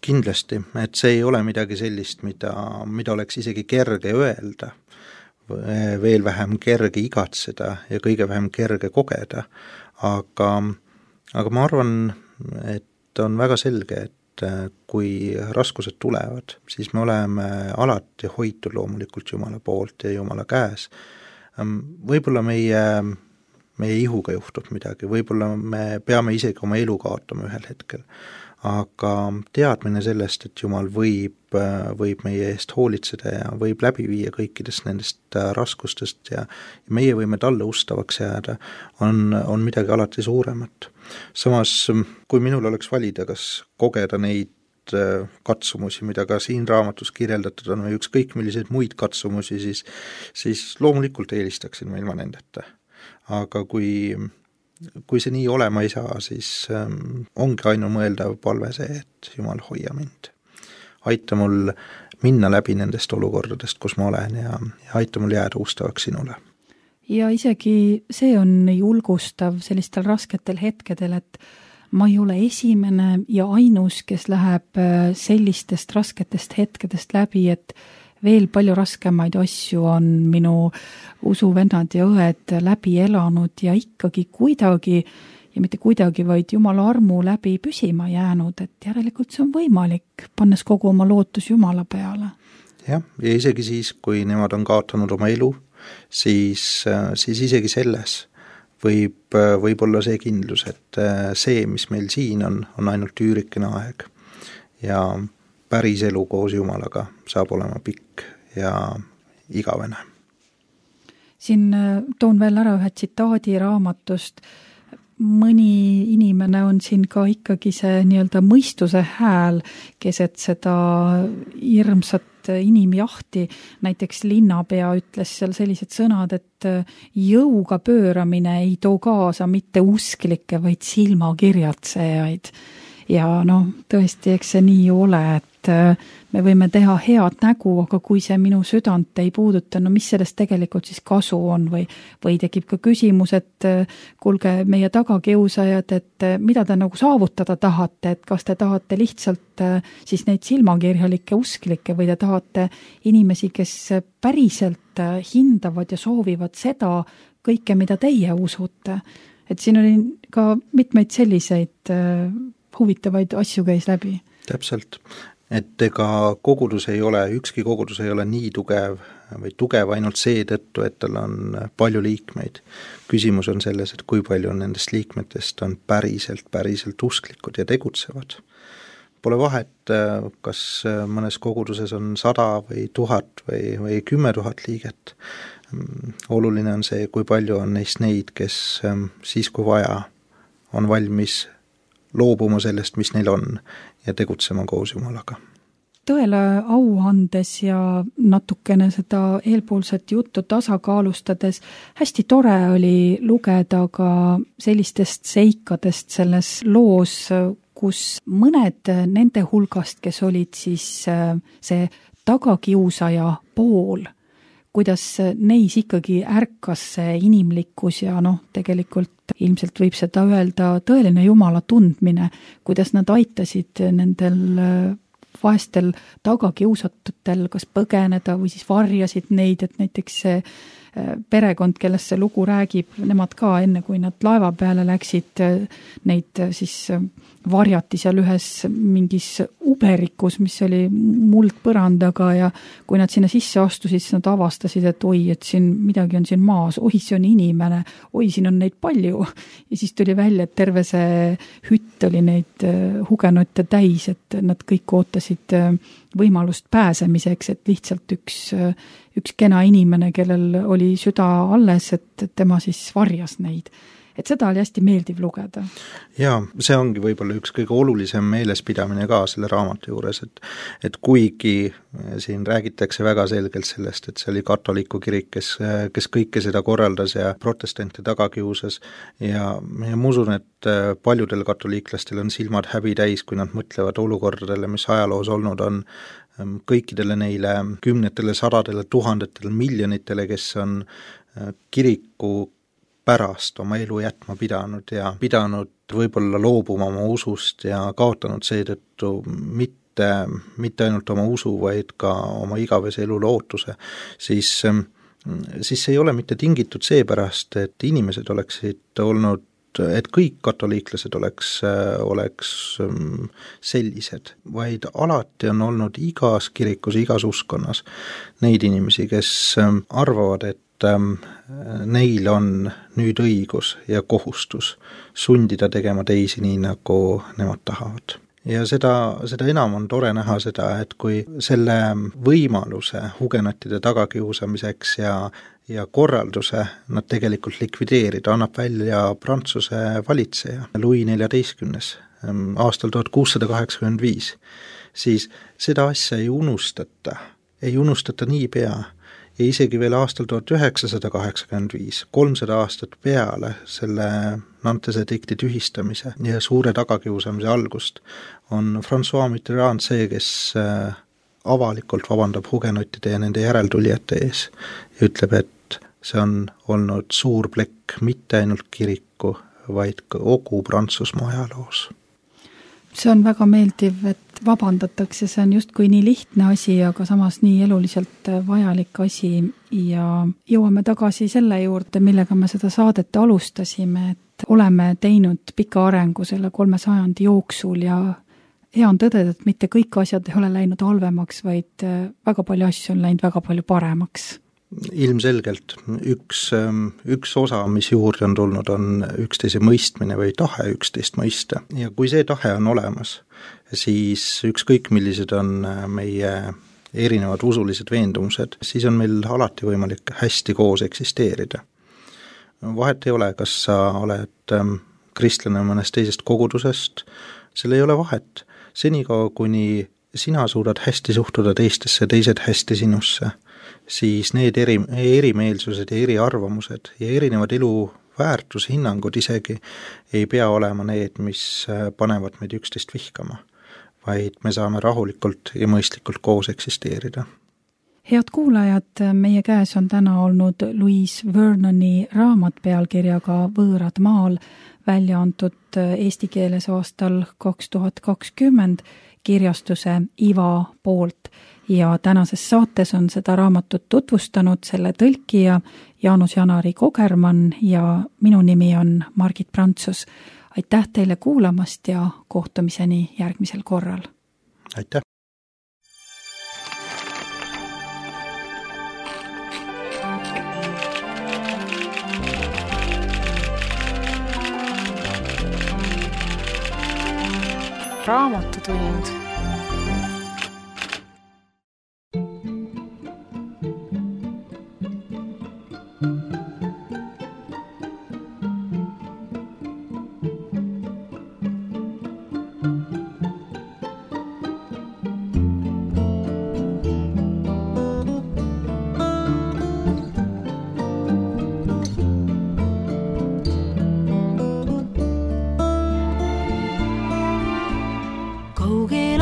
Kindlasti, et see ei ole midagi sellist, mida, mida oleks isegi kerge öelda, veel vähem kerge igatseda ja kõige vähem kerge kogeda, aga Aga ma arvan, et on väga selge, et kui raskused tulevad, siis me oleme alati hoitud loomulikult Jumala poolt ja Jumala käes. Võib-olla meie, meie ihuga juhtub midagi, võib-olla me peame isegi oma elu kaotama ühel hetkel, aga teadmine sellest, et Jumal võib, võib meie eest hoolitseda ja võib läbi viia kõikidest nendest raskustest ja meie võime talle ustavaks jääda, on, on midagi alati suuremat. Samas, kui minul oleks valida, kas kogeda neid katsumusi, mida ka siin raamatus kirjeldatud on, või ükskõik milliseid muid katsumusi, siis, siis loomulikult eelistaksin ma ilma nendeta. Aga kui kui see nii olema ei saa, siis ähm, ongi ainumõeldav palve see, et Jumal hoia mind. Aita mul minna läbi nendest olukordadest, kus ma olen ja, ja aita mul jääda ustavaks sinule. Ja isegi see on julgustav sellistel rasketel hetkedel, et ma ei ole esimene ja ainus, kes läheb sellistest rasketest hetkedest läbi, et veel palju raskemaid asju on minu usuvennad ja õed läbi elanud ja ikkagi kuidagi, ja mitte kuidagi, vaid Jumala armu läbi püsima jäänud, et järelikult see on võimalik, pannes kogu oma lootus Jumala peale. Jah, ja isegi siis, kui nemad on kaotanud oma elu, siis, siis isegi selles võib, võib olla see kindlus, et see, mis meil siin on, on ainult üürikene aeg ja päris elu koos Jumalaga saab olema pikk ja igavene. Siin toon veel ära ühe tsitaadi raamatust. Mõni inimene on siin ka ikkagi see nii-öelda mõistuse hääl, keset seda hirmsat inimjahti. Näiteks linnapea ütles seal sellised sõnad, et jõuga pööramine ei too kaasa mitte usklikke, vaid silmakirjatsejaid. Ja noh, tõesti, eks see nii ju ole, et me võime teha head nägu, aga kui see minu südant ei puuduta, no mis sellest tegelikult siis kasu on või, või tekib ka küsimus, et kuulge meie tagakiusajad, et mida te nagu saavutada tahate, et kas te tahate lihtsalt siis neid silmakirjalikke usklikke või te tahate inimesi, kes päriselt hindavad ja soovivad seda kõike, mida teie usute. Et siin oli ka mitmeid selliseid huvitavaid asju käis läbi. Täpselt, et ega kogudus ei ole, ükski kogudus ei ole nii tugev või tugev ainult seetõttu, et tal on palju liikmeid. Küsimus on selles, et kui palju nendest liikmetest on päriselt, päriselt usklikud ja tegutsevad. Pole vahet, kas mõnes koguduses on sada või tuhat või, või kümme tuhat liiget. Oluline on see, kui palju on neist neid, kes siis kui vaja on valmis loobuma sellest, mis neil on ja tegutsema koos Jumalaga. Tõele au andes ja natukene seda eelpoolset juttu tasakaalustades hästi tore oli lugeda ka sellistest seikadest selles loos, kus mõned nende hulgast, kes olid siis see tagakiusaja pool, kuidas neis ikkagi ärkas see inimlikkus ja noh, tegelikult ilmselt võib seda öelda tõeline Jumala tundmine, kuidas nad aitasid nendel vaestel tagakiusatutel kas põgeneda või siis varjasid neid, et näiteks see perekond, kellest see lugu räägib, nemad ka enne, kui nad laeva peale läksid, neid siis varjati seal ühes mingis uberikus, mis oli muldpõrandaga ja kui nad sinna sisse astusid, siis nad avastasid, et oi, et siin midagi on siin maas, oi, see on inimene, oi, siin on neid palju. Ja siis tuli välja, et terve see hütt oli neid hugenutte täis, et nad kõik ootasid võimalust pääsemiseks, et lihtsalt üks, üks kena inimene, kellel oli süda alles, et tema siis varjas neid. Et seda oli hästi meeldiv lugeda. Jaa, see ongi võib-olla üks kõige olulisem meelespidamine ka selle raamatu juures, et, et kuigi siin räägitakse väga selgelt sellest, et see oli katoliku kirik, kes, kes kõike seda korraldas ja protestante tagakiusas ja, ja ma usun, et paljudel katoliiklastel on silmad häbi täis, kui nad mõtlevad olukordadele, mis ajaloos olnud on, kõikidele neile kümnetele, sadadele, tuhandetele, miljonitele, kes on kiriku pärast oma elu jätma pidanud ja pidanud võib-olla loobuma oma usust ja kaotanud seetõttu mitte, mitte ainult oma usu, vaid ka oma igavese elu lootuse, siis, siis see ei ole mitte tingitud seepärast, et inimesed oleksid olnud, et kõik katoliiklased oleks, oleks sellised, vaid alati on olnud igas kirikus, igas uskonnas neid inimesi, kes arvavad, et neil on nüüd õigus ja kohustus sundida tegema teisi nii, nagu nemad tahavad. Ja seda, seda enam on tore näha seda, et kui selle võimaluse hugenotide tagakiusamiseks ja, ja korralduse nad tegelikult likvideerida, annab välja Prantsuse valitseja Louis neljateistkümnes aastal tuhat kuussada kaheksakümmend viis, siis seda asja ei unustata, ei unustata nii pea, ja isegi veel aastal tuhat üheksasada kaheksakümmend viis, kolmsada aastat peale selle Nantese dikti tühistamise ja suure tagakiusamise algust, on François Mitterrand see, kes avalikult vabandab hugenotide ja nende järeltulijate ees ja ütleb, et see on olnud suur plekk mitte ainult kiriku, vaid ka kogu Prantsusmaa ajaloos. See on väga meeldiv, et vabandatakse, see on justkui nii lihtne asi, aga samas nii eluliselt vajalik asi ja jõuame tagasi selle juurde, millega me seda saadet alustasime, et oleme teinud pika arengu selle kolme sajandi jooksul ja hea on tõdeda, et mitte kõik asjad ei ole läinud halvemaks, vaid väga palju asju on läinud väga palju paremaks. Ilmselgelt üks, üks osa, mis juurde on tulnud, on üksteise mõistmine või tahe üksteist mõista. Ja kui see tahe on olemas, siis ükskõik millised on meie erinevad usulised veendumused, siis on meil alati võimalik hästi koos eksisteerida. Vahet ei ole, kas sa oled kristlane mõnest teisest kogudusest, seal ei ole vahet. Senikaua, kuni sina suudad hästi suhtuda teistesse, teised hästi sinusse, siis need eri, erimeelsused ja eriarvamused ja erinevad elu väärtushinnangud isegi ei pea olema need, mis panevad meid üksteist vihkama, vaid me saame rahulikult ja mõistlikult koos eksisteerida. Head kuulajad, meie käes on täna olnud Louise Vernoni raamat pealkirjaga Võõrad maal, välja antud eesti keeles aastal kaks tuhat kakskümmend kirjastuse Iva poolt ja tänases saates on seda raamatut tutvustanud selle tõlkija Jaanus-Janari Kogermann ja minu nimi on Margit Prantsus. Aitäh teile kuulamast ja kohtumiseni järgmisel korral. Aitäh! Raamatutund. Kaugel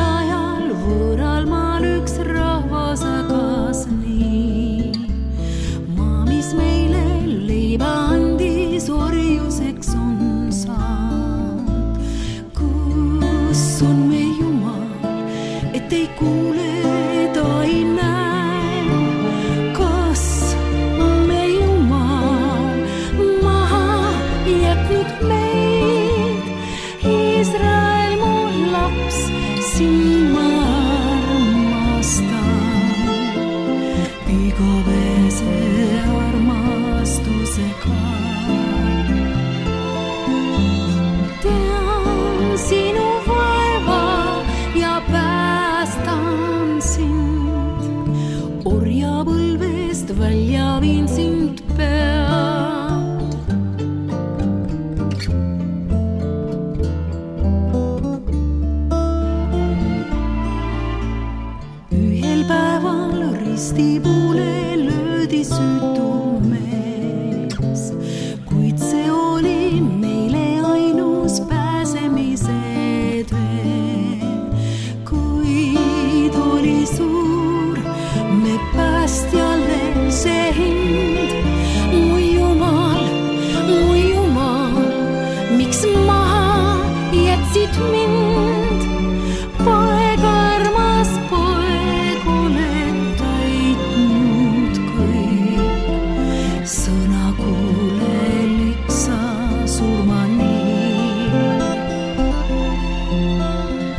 sõna kuule liksa surmani.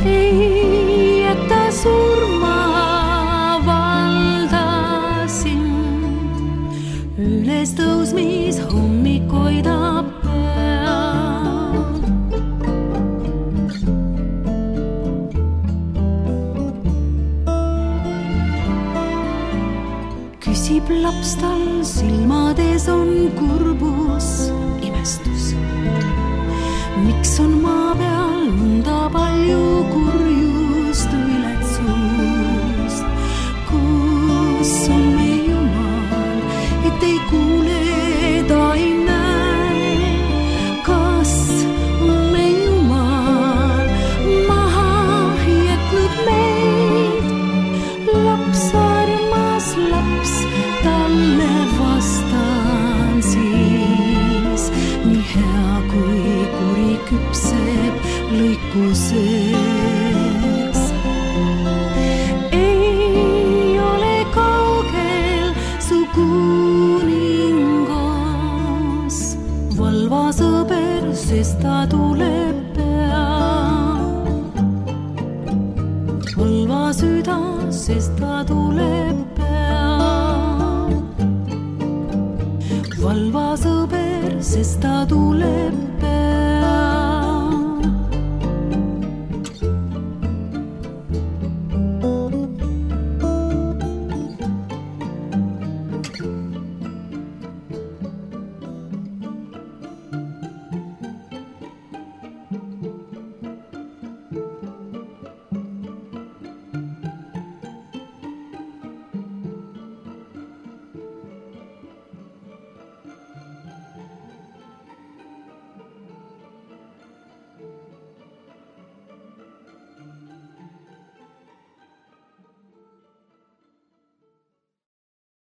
Ei jäta surma valdasin, üles tõusmis hommikoida pea. Küsib laps tal, silmades on kurbus, imestus. Miks on maa peal nõnda palju kurjust, viletsust? Kus on meie Jumal, et ei kuule, ta ei näe? Kas on meie Jumal maha jätnud meid? Laps armas laps, talle vastan siis, nii hea kui kuri küpseb lõikuseks. Ei ole kaugel su kuningas, valva sõber, sest ta tuleb pea. Valva süda, sest ta tuleb pea. Valva sõber, sest ta tuleb